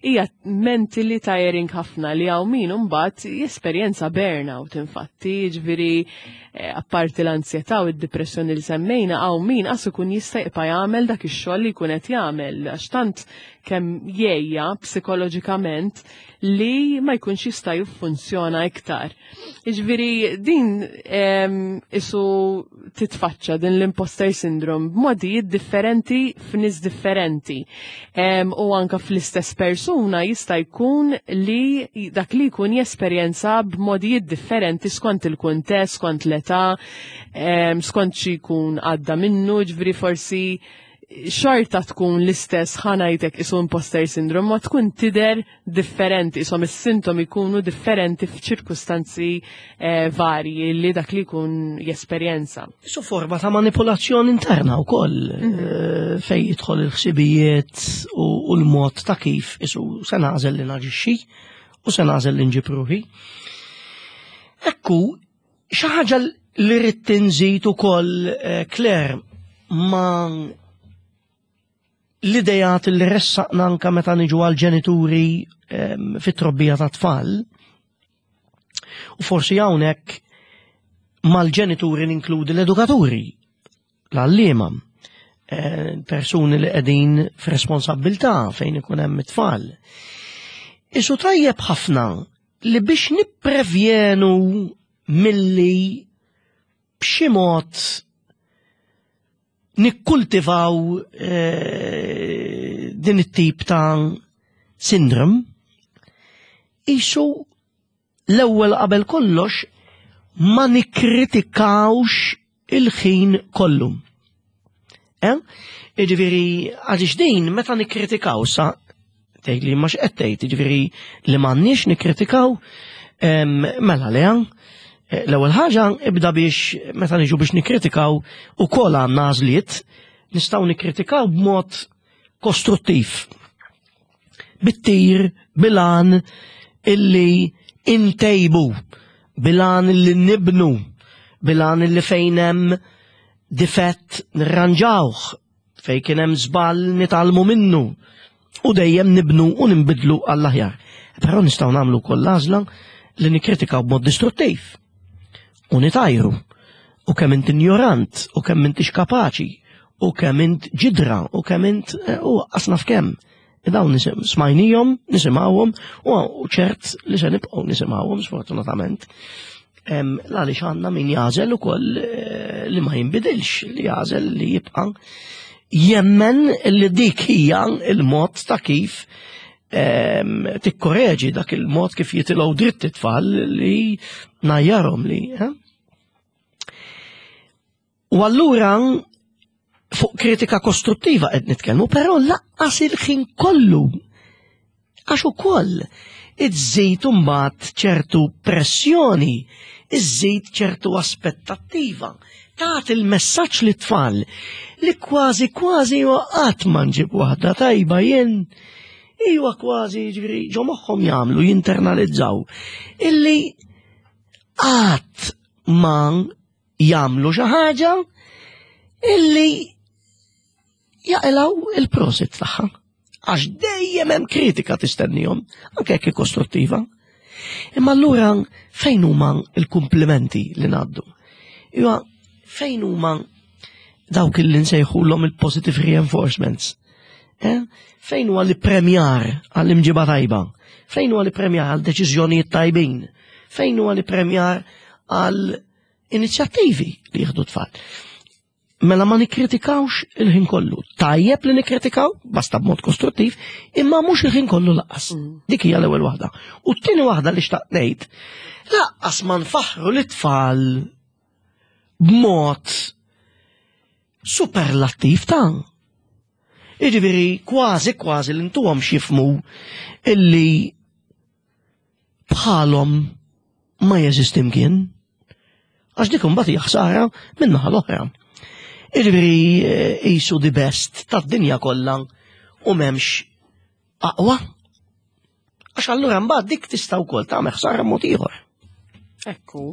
Hija mentally tiring ħafna li hawn min imbagħad jesperjenza burnout infatti, jiġifieri eh, apparti l-ansjetà u d-depressjoni li semmejna hawn min qas ikun jista' jibqa' jagħmel dak ix-xogħol li jkun qed jagħmel għax tant kemm jgħejja psikoloġikament li ma jkunx jista' jiffunzjona iktar. Jiġifieri din isu titfaċċa din l-imposter syndrome b'modijiet differenti f'nies differenti. U anka fl-istess persuna jista' jkun li dak li jkun jesperjenza b'modijiet differenti skont il-kuntest, skont l-età, skont xi jkun għadda minnu, ġifieri forsi xorta tkun l-istess ħanajtek isu imposter syndrome, ma tkun tider differenti, isom is-sintomi jkunu differenti f'ċirkustanzi eh, varji li dak li jkun jesperjenza. Isu forma ta' manipolazzjoni interna wkoll mm -hmm. eh, fej jidħol il-ħsibijiet u l-mod ta' kif isu se nagħżel li naġixxi u se nagħżel li nġib ruħi. Ekku, Xi ħaġa li rrid inżid ukoll eh, Claire ma l-idejat li ressaqna anka meta niġu għal ġenituri ehm, fit-trobbija ta' tfal. U forsi hawnhekk mal-ġenituri ninkludi l-edukaturi, l-għalliema, eh, persuni li qegħdin f'responsabbiltà fejn ikun hemm it-tfal. Isu tajjeb ħafna li biex nipprevjenu milli b'xi mod nikkultivaw eh, din it-tip ta' sindrom, Isu l-ewwel qabel kollox ma nikkritikawx il-ħin kollu. Eh? Jiġifieri għaliex din meta nikkritikaw sa tgħid li ma x'qed tgħid, jiġifieri li m'għandniex nikkritikaw mela le eh, l-ewwel ħaġa ibda biex meta niġu biex nikkritikaw ukoll għandna għażliet nistgħu nikkritikaw b'mod kostruttiv. Bit-tir, bilan illi intejbu, bilan illi nibnu, bilan illi fejn hemm difett nirranġawh, fejn kien hemm żball nitgħallmu minnu u dejjem nibnu u ninbidlu għall-aħjar. Però nistgħu nagħmlu wkoll l-għażla li nikkritikaw b'mod distruttiv u nitajru u kemm int injorant u kemm intix kapaċi u kemm int ġidra u kemm int eh, u qasna f'kemm. Dawn smajnijhom, nisimgħuhom u ċert li se nibqgħu nisimgħuhom sfortunatament. Għaliex għandna min jażel ukoll eh, li ma jinbidilx, li jażel li jibqa' jemmen li dik hija il-mod ta' kif tikkoreġi dak il-mod kif jitilgħu dritt it-tfal li najjarhom li. Eh? U allura fuq kritika kostruttiva qed nitkellmu, però laqqas il-ħin kollu. Għax ukoll iżżid imbagħad ċertu pressjoni, iżżid ċertu aspettattiva. Tagħti il-messaġġ li tfal li kważi kważi qatt ma nġib waħda tajba jien iwa kważi ġifieri ġo moħħhom jagħmlu jinternalizzaw illi qatt ma jagħmlu xi ħaġa illi jaqilgħu il-prosit tagħha. Għax dejjem hemm kritika tistennihom, anke jekk kostruttiva. Imma allura fejn huma l-kumplimenti li ngħaddu? Iwa fejn huma dawk li nsejħulhom il-positive reinforcements? Eh? Fejn huwa li premjar għall-imġiba tajba? Fejn huwa li premjar għal deċiżjonijiet tajbin? Fejn huwa li premjar għal inizjattivi li jieħdu tfal? Mela ma nikkritikawx il-ħin kollu. Tajjeb li nikkritikaw, basta b'mod kostruttiv, imma mhux il-ħin kollu laqas. Dik hija l-ewwel waħda. U t-tieni waħda li xtaqt ngħid, laqqas ma nfaħħru l-tfal b'mod superlattiv ta' Jiġifieri kważi kważi li ntuhom x'jifhmu illi bħalhom ma jeżisti mkien. Għax dik imbagħad hija ħsara min-naħa l-oħra. Jiġifieri eh, qisu the best tad-dinja kollha u m'hemmx aqwa. Għax allura mbagħad dik tista' wkoll tagħmel ħsara mod ieħor. Ekku.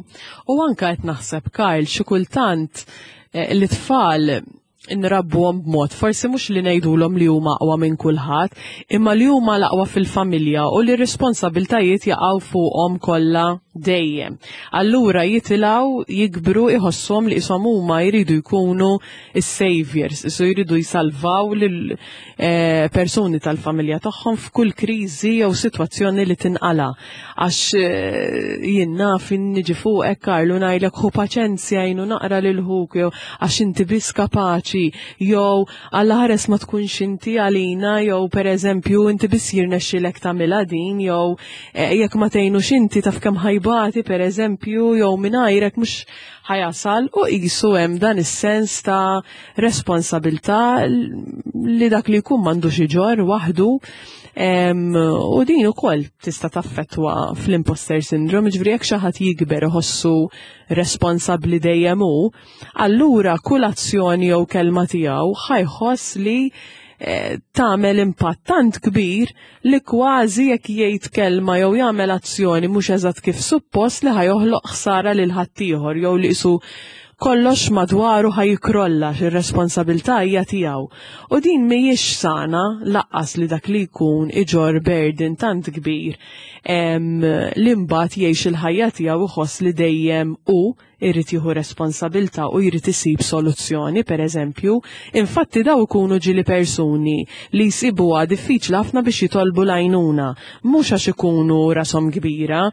U anka qed naħseb Kyle xi kultant eh, l-tfal nrabbuhom b'mod, forsi mhux li ngħidulhom li huma aqwa minn kulħadd, imma li huma l-aqwa fil-familja u li r-responsabiltajiet jaqgħu fuqhom kollha dejjem. Allura jitilgħu jikbru iħossuhom li qishom huma jridu jkunu s-saviors, isu jridu jsalvaw lil eh, persuni tal-familja tagħhom f'kull kriżi jew sitwazzjoni li tinqala. Għax eh, jien naf niġi fuqek Karlu ngħidlek ħu paċenzja jinu naqra lil ħuk jew għax inti biss kapaċi jew Alla ħares ma tkunx inti għalina jew pereżempju inti biss jirnexxilek tagħmilha din jew eh, jekk ma tgħinux inti taf kemm ħajbati pereżempju jew mingħajrek mhux ħajasal u qisu hemm dan is-sens ta' responsabilità li dak li jkun m'għandux iġorr waħdu. U din ukoll tista' taffettwa fl-imposter syndrome, ġifieri jekk xi ħadd jikber iħossu responsabbli dejjem hu, allura kull azzjoni jew kelma tiegħu ħajħoss li eh, tagħmel impatt tant kbir li kważi jekk jgħid kelma jew jagħmel azzjoni mhux eżatt kif suppost li ħajoħloq ħsara lil ħaddieħor jew li qisu kollox madwaru ħajkrolla ir-responsabilità hija tiegħu. U din mhijiex sana laqqas li dak li jkun iġor burden tant kbir li mbagħad jgħix il-ħajja tiegħu iħoss li dejjem hu irid jieħu responsabilta u jrid isib soluzzjoni, per eżempju. Infatti daw ikunu ġieli persuni li jsibuha diffiċli ħafna biex jitolbu l-għajnuna, mhux għax ikunu rashom kbira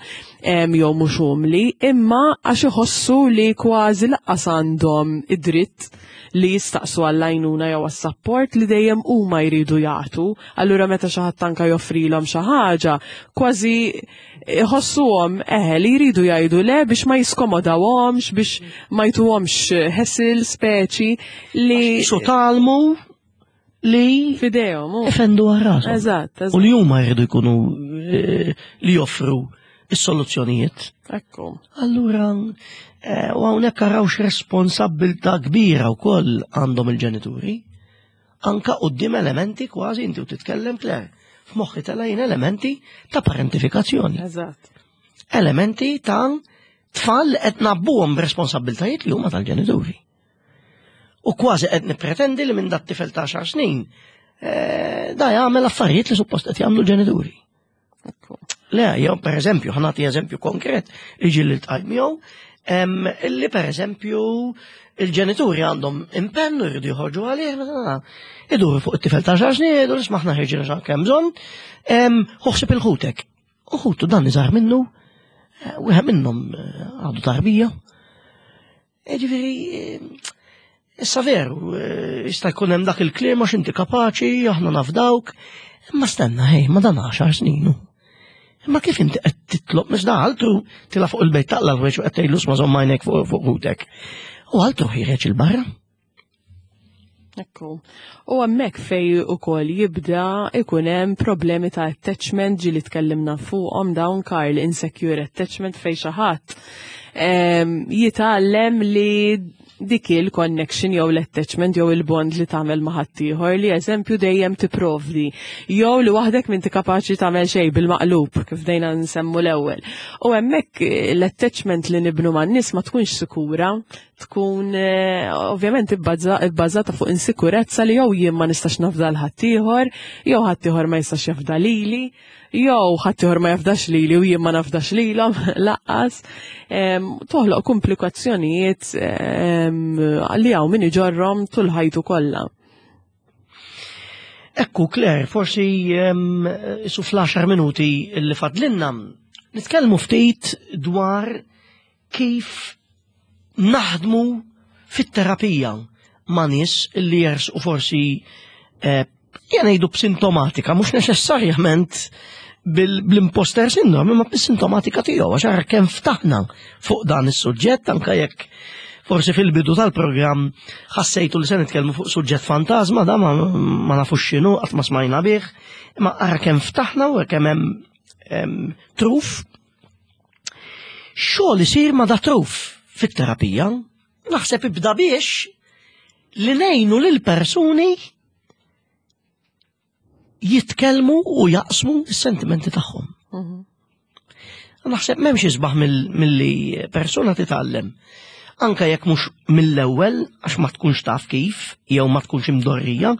jew mhux umli, imma għax iħossu li kważi laqqas għandhom id-dritt li jistaqsu għall-għajnuna jew għas-sapport li dejjem huma jridu jagħtu. Allura meta xi ħadd anka joffrilhom xi ħaġa, kważi iħossuhom eħe li jridu jgħidu le biex ma jiskomodawhomx, biex ma jtuhomx hassle speċi li Su talmu li fidejhom. Ifendu għal Eżatt, U li huma jridu jkunu li joffru is-soluzzjonijiet. Ekku. Allura, u hawnhekk arawx responsabbiltà kbira wkoll għandhom il-ġenituri. Anka quddiem elementi kważi inti u titkellem Claire. F'moħħi telgħin elementi ta' parentifikazzjoni. Eżatt. Elementi ta' tfal li qed nabbuhom b'responsabbiltajiet li huma tal-ġenituri. U kważi qed nippretendi li minn dat tifel ta' 10 snin da jagħmel affarijiet li suppost qed jagħmlu l-ġenituri. Le, jew per eżempju, ħa nagħti eżempju konkret li ġieli ltqajt miegħu, illi per eżempju il-ġenituri għandhom impenn u jridu joħorġu għalih, iduru fuq it-tifel ta' 10 snin, jgħidu isma' aħna ħirġin għax kemm bżonn, ħuħsib il-ħutek. U ħutu dan iżgħar minnu, wieħed minnhom għadu tarbija. Ġifieri, issa veru, jista' jkun hemm dak il-kliem għax inti kapaċi, aħna nafdawk, imma stenna, hej, ma dan 10 snin. Imma kif inti qed titlob mhux da altru tila fuq il-bejt taqla l-weċ u qed tgħidlu sma' żomm għajnek fuq ħutek. U altru ħireġ il-barra. Ekku. U hemmhekk fej ukoll jibda ikun hemm problemi ta' attachment ġieli tkellimna fuqhom dawn Karl, insecure attachment fej xi ħadd jitgħallem li dik il-connection jew l-attachment jew il-bond li tagħmel ma' ħaddieħor li eżempju dejjem tipprovdi jew li waħdek m'inti kapaċi tagħmel xejn bil-maqlub kif dejna nsemmu l-ewwel. U hemmhekk l-attachment li nibnu man-nies ma tkunx sikura, tkun ovvjament ibbażata fuq insikurezza li jew jien ma nistax nafda l ħaddieħor, jew ħaddieħor ma jistax jafda lili, jew ħaddieħor ma jafdax lili u jien ma nafdax lilhom laqqas. Toħloq komplikazzjonijiet li hawn min iġorrhom tul ħajtu kollha. Ekku, Claire, forsi su fl-10 minuti li fadlinna nitkellmu ftit dwar kif naħdmu fit-terapija ma' nies li jersqu forsi jgħidu b'sintomatika, mhux neċessarjament bl-imposter syndrome, imma bis-sintomatika tiegħu, għax ara kemm ftaħna fuq dan is-suġġett, anke jekk forsi fil-bidu tal-programm ħassejtu li se nitkellmu fuq suġġett fantasma, da ma nafux x'inhu, qatt ma smajna bih, imma ara kemm ftaħna u kemm hemm truf. Xogħol isir ma da truf fit-terapija, naħseb ibda biex li ngħinu lil persuni jitkellmu u jaqsmu s-sentimenti tagħhom. Naħseb m'hemmx isbaħ milli persuna titgħallem. Anka jekk mhux mill-ewwel għax ma tkunx taf kif jew ma tkunx imdorrija,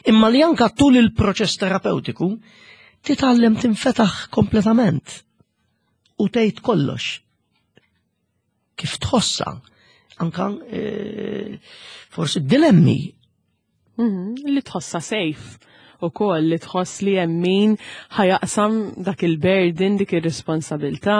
imma li anka tul il-proċess terapeutiku titgħallem tinfetaħ kompletament u tgħid kollox. Kif tħossa, anka forsi dilemmi. Li tħossa safe u koll, li tħoss li hemm min ħajaqsam dak il-burden, dik ir-responsabilta.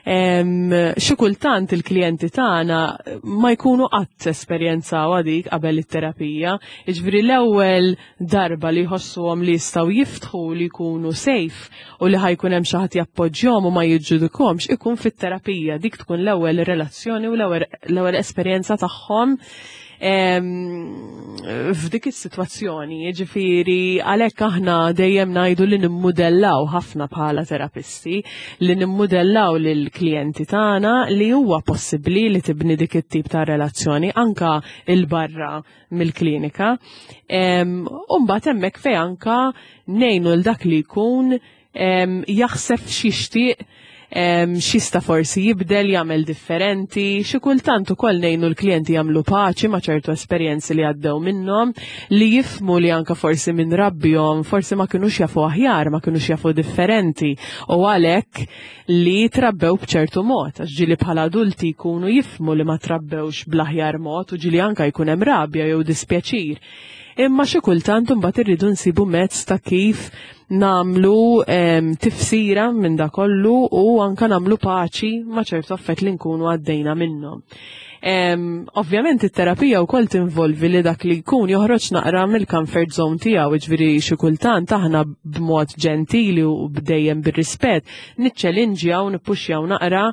Xi kultant il-klijenti tagħna ma jkunu qatt esperjenzaw dik qabel it-terapija. Jiġifieri l-ewwel darba li jħossuhom li jistgħu jiftħu li jkunu safe u li ħajkun hemm xi ħadd jappoġġjahom u ma jiġġudikhomx ikun fit-terapija. Dik tkun l-ewwel relazzjoni u l-ewwel esperjenza tagħhom f'dik is-sitwazzjoni. Jiġifieri għalhekk aħna dejjem ngħidu li nimmudellaw ħafna bħala terapisti, li nimmudellaw lill-klijenti tagħna li huwa possibbli li tibni dik it-tip ta' relazzjoni anka il-barra mill-klinika. U mbagħad hemmhekk fejn anka ngħinu l dak li jkun jaħseb x'jixtieq X'jista' forsi jibdel, jagħmel differenti, xi kultant ukoll ngħinu l-klijenti jagħmlu paċi ma' ċertu esperjenzi li għaddew minnhom, li jifhmu li anke forsi minn rabbihom forsi ma kinux jafu aħjar, ma kinux jafu differenti u għalhekk li trabbew b'ċertu mod, għax ġieli bħala adulti jkunu jifhmu li ma trabbewx bl-aħjar mod u ġieli anke jkun hemm rabja jew dispjaċir. Imma xi kultant imbagħad irridu nsibu mezz ta' kif nagħmlu tifsira minn da kollu u anka nagħmlu paċi ma' ċertu affett li nkunu għaddejna minnhom. Ovvjament it-terapija wkoll tinvolvi li dak li jkun joħroġ naqra mill-comfort zone tiegħu, jiġifieri xi kultant aħna b'mod ġentili u bdejjem bir-rispett niċċelinġjaw nippuxjaw naqra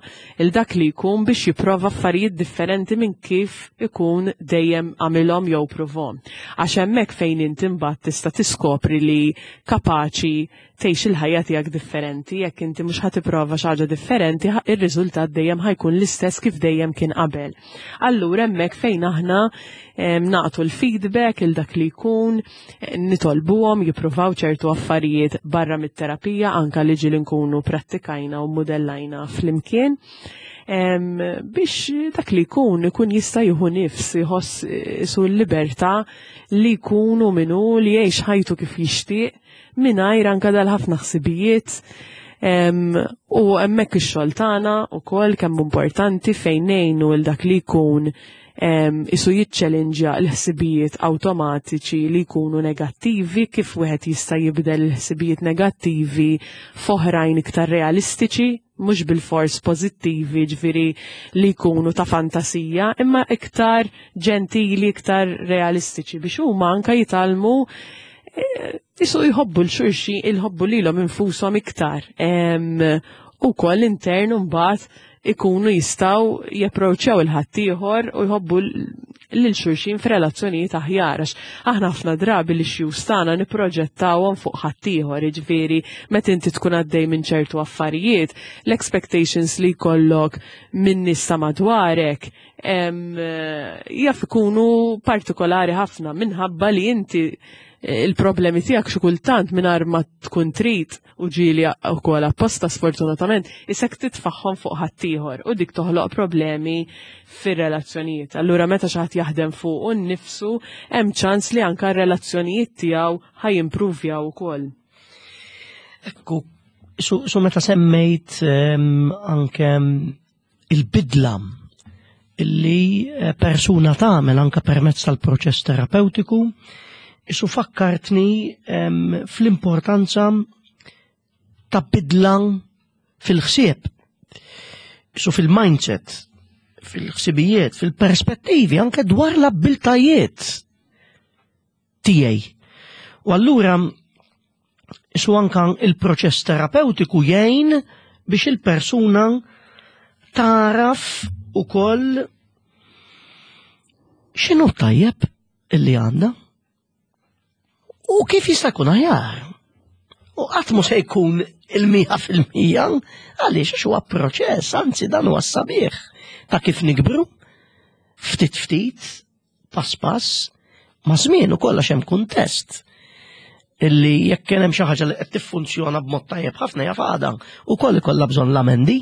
il dak li jkun biex jipprova affarijiet differenti minn kif ikun dejjem għamilhom jew pruvhom. Għax hemmhekk fejn inti mbagħad tista' tiskopri li kapaċi tgħix il-ħajja tiegħek differenti, jekk inti mhux ħa tipprova xi ħaġa differenti, ir-riżultat dejjem ħa jkun l-istess kif dejjem kien qabel. Allura hemmhekk fejn aħna nagħtu l-feedback il dak li jkun, nitolbuhom jippruvaw ċertu affarijiet barra mit-terapija anka li ġieli nkunu prattikajna u mudellajna flimkien biex dak li jkun ikun jista' jieħu nifs, jħoss su l-libertà li jkunu minnu li jgħix ħajtu kif jixtieq mingħajr anka dal-ħafna ħsibijiet. U hemmhekk ix-xogħol tagħna wkoll kemm importanti fejn ngħinu l dak li jkun isu jiċċelinġja l-ħsibijiet awtomatiċi li jkunu negattivi, kif wieħed jista' jibdel il-ħsibijiet negattivi f'oħrajn iktar realistiċi, mhux bilfors pożittivi, ġifieri li jkunu ta' fantasija, imma iktar ġentili, iktar realistiċi biex huma anka jitgħallmu jisu jħobbu l-xulxin, jħobbu lilhom infushom iktar. U koll intern mbagħad ikunu jistgħu japproċċjaw il-ħaddieħor u jħobbu lil xulxin f'relazzjonijiet aħjar, għax aħna ħafna drabi li xjus tagħna nipproġettawhom fuq ħaddieħor, jiġifieri meta inti tkun għaddej minn ċertu affarijiet, l-expectations li jkollok minn nies ta' madwarek jaf ikunu partikolari ħafna minħabba li inti il-problemi tiegħek xi kultant mingħajr ma tkun trid u ġieli wkoll apposta sfortunatament isek titfaħħom fuq ħaddieħor u dik toħloq problemi fir-relazzjonijiet. Allura meta xi ħadd jaħdem fuq u nnifsu hemm ċans li anke r-relazzjonijiet tiegħu ħajimpruvjaw ukoll. Ekku, su meta semmejt anke il-bidla illi persuna tagħmel anke permezz tal-proċess terapeutiku, isu fakkartni fl-importanza ta' bidla fil-ħsieb, isu fil-mindset, fil-ħsibijiet, fil-perspettivi, anke dwar l-abbiltajiet tiegħi. U allura isu anka il-proċess terapeutiku jgħin biex il-persuna taraf ukoll x'inhu tajjeb illi għandha u kif jista' jkun aħjar. U qatt mhu se jkun il-mija fil-mija, għaliex għax huwa proċess, anzi dan huwa sabiħ ta' kif nikbru, ftit ftit, pass pass, ma' żmien ukoll għax hemm kuntest illi jekk kien hemm xi ħaġa li qed tiffunzjona b'mod tajjeb ħafna jaf għada ukoll ikollha bżonn l-amendi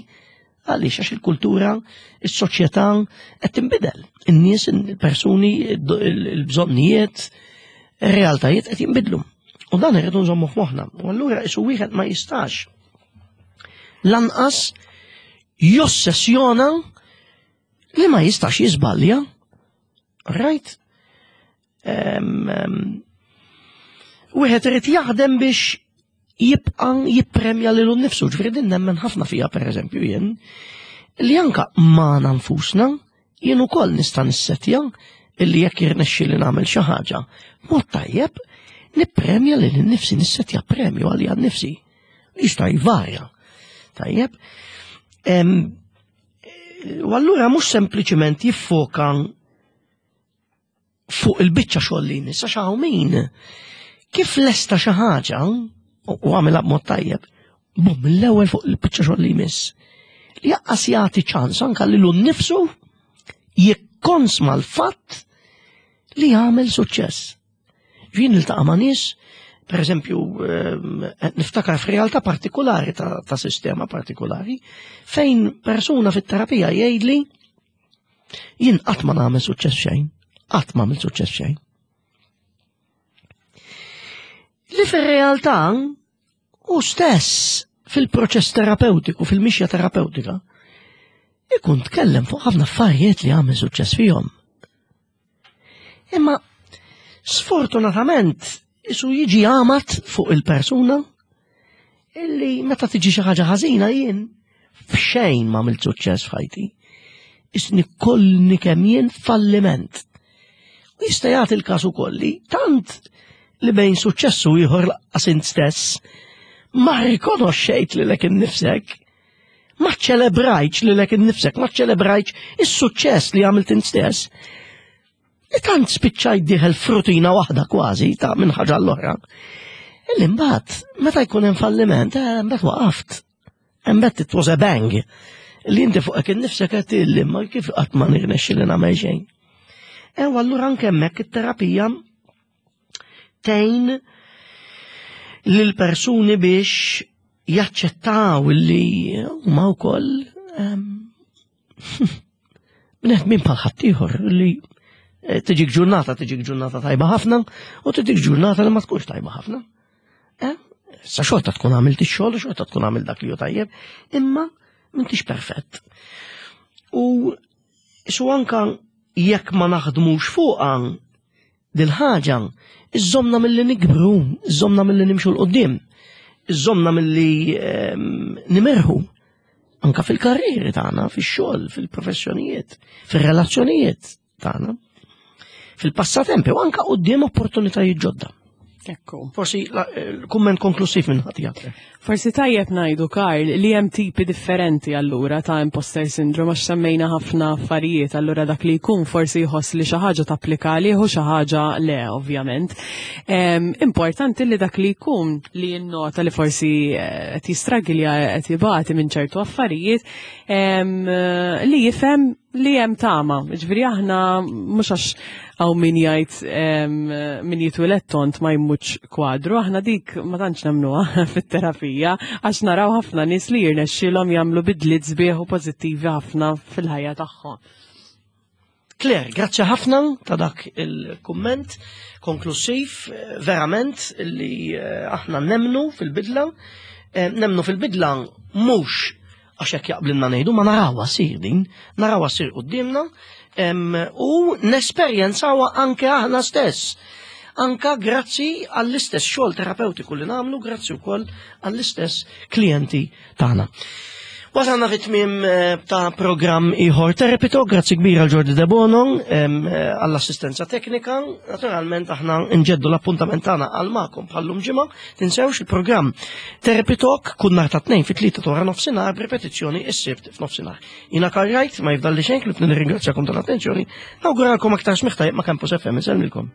għaliex għax il-kultura, is-soċjetà qed tinbidel. In-nies, il-persuni, il-bżonnijiet, ir-realtajiet qed jinbidlu. U dan irridu nżommu f'moħħna. U allura isu wieħed ma jistax lanqas jossessjona li ma jistax jiżbalja. Right? Wieħed irid jaħdem biex jibqa' jippremja lilu nnifsu, ġifieri din nemmen ħafna fija pereżempju jien, li anka magħna nfusna jien ukoll nista' nissetja illi jekk jirnexxi li nagħmel xi ħaġa mod tajjeb, nippremja lil nnifsi, nissetja premju għalija nnifsi. Jista' jvarja. Tajjeb. U allura mhux sempliċiment jiffoka fuq il-biċċa xogħol li jmiss, għax hawn min kif lesta xi ħaġa u għamilha b'mod tajjeb, bum mill-ewwel fuq il-biċċa xogħol li jmiss. Li jaqqas jagħti ċans anke lilu nnifsu jikkonsma l-fatt li jagħmel suċċess. Jien niltaqa' ma' nies Per eżempju, niftakar f'realtà partikolari ta', ta sistema partikolari, fejn persuna fit-terapija jgħidli jien qatt ma nagħmel suċċess xejn, qatt ma għamil suċċess xejn. Li fir-realtà u stess fil-proċess terapeutiku, fil-mixja terapeutika, ikun tkellem fuq ħafna affarijiet li għamel suċċess fihom. Imma sfortunatament isu jiġi għamat fuq il-persuna illi meta tiġi xi ħaġa ħażina jien f'xejn ma għamilt suċċess f'ħajti. Isni kollni kemm jien falliment. U jista' jagħti l-każ ukoll li tant li bejn suċċessu ieħor laqqas int stess ma rikonoxxejt lilek innifsek, ma ċelebrajtx lilek innifsek, ma ċelebrajtx is-suċċess li għamilt int stess. Li tant spiċċajt dieħel f'rutina waħda kważi ta' minn ħaġa l-oħra. Illi mbagħad meta jkun hemm falliment, eh, mbagħad waqaft. Mbagħad it was a bang. Li inti fuqek innifsek qed illi ma kif qatt ma nirnexxi li nagħmel xejn. Ew allura anke hemmhekk it-terapija tgħin lil persuni biex jaċċettaw li huma wkoll ehm, bnedmin bħal ħaddieħor li eh, tiġik ġurnata, tiġik ġurnata tajba ħafna u tiġik ġurnata li ma tkunx tajba ħafna. Eh? Sa xorta tkun għamilt ix-xogħol, xorta tkun għamilt dak li hu tajjeb, imma m'intix perfett. U su anka jekk ma naħdmux fuqha dil-ħaġa, iżżomna milli nikbru, iżżomna milli nimxu l-qoddim, iżżomna milli ehm, nimerħu anka fil-karrieri tagħna, fix-xogħol, fil-professjonijiet, fir-relazzjonijiet tagħna, fil-passatempi u anka quddiem opportunitajiet ġodda. Ekku. Forsi eh, kumment konklusiv minn ħati Forsi tajjeb ngħidu Karl li hemm tipi differenti allura ta' imposter syndrome għax semmejna ħafna affarijiet allura dak li jkun forsi jħoss li xi ħaġa tapplika għalih u xi ħaġa le ovvjament. Importanti li dak li jkun li jinnota li forsi eh, qed jistragilja qed jibati minn ċertu affarijiet li jifhem li hemm tama. Ġifieri aħna mhux għax hawn min jgħid min jitwieled tont ma jmutx kwadru, aħna dik ma tantx nemmnuha fit-terapija għax naraw ħafna nies li jirnexxielhom jagħmlu bidliet sbieħ u pożittivi ħafna fil-ħajja tagħhom. Claire, grazzi ħafna ta' dak il-kumment konklusiv, verament li eh, aħna nemnu fil-bidla, eh, nemnu fil-bidla mhux għax hekk jaqblilna ngħidu ma narawha ssir din, narawha ssir quddiemna u nesperjenzawha anke aħna stess. Anka grazzi għall-istess xogħol terapeutiku li nagħmlu, grazzi wkoll għall-istess klijenti tagħna. Wasalna fit tmiem eh, ta' programm ieħor Therapy grazzi kbira għal Jordi Debono eh, għall-assistenza teknika. Naturalment aħna nġeddu l-appuntament tagħna għal magħkom bħallum ġimgħa. Tinsewx il-programm Therapy Talk kull nhar ta' tnejn fit-tlieta ta' wara nofsinhar b'ripetizzjoni s-sibt f'nofsinhar. Jiena Karl Wright, ma jifdalli xejn klib nirringrazzjakom tal-attenzjoni, nawguralkom aktar smigħ tajjeb ma' Campus FM, insellmilkom.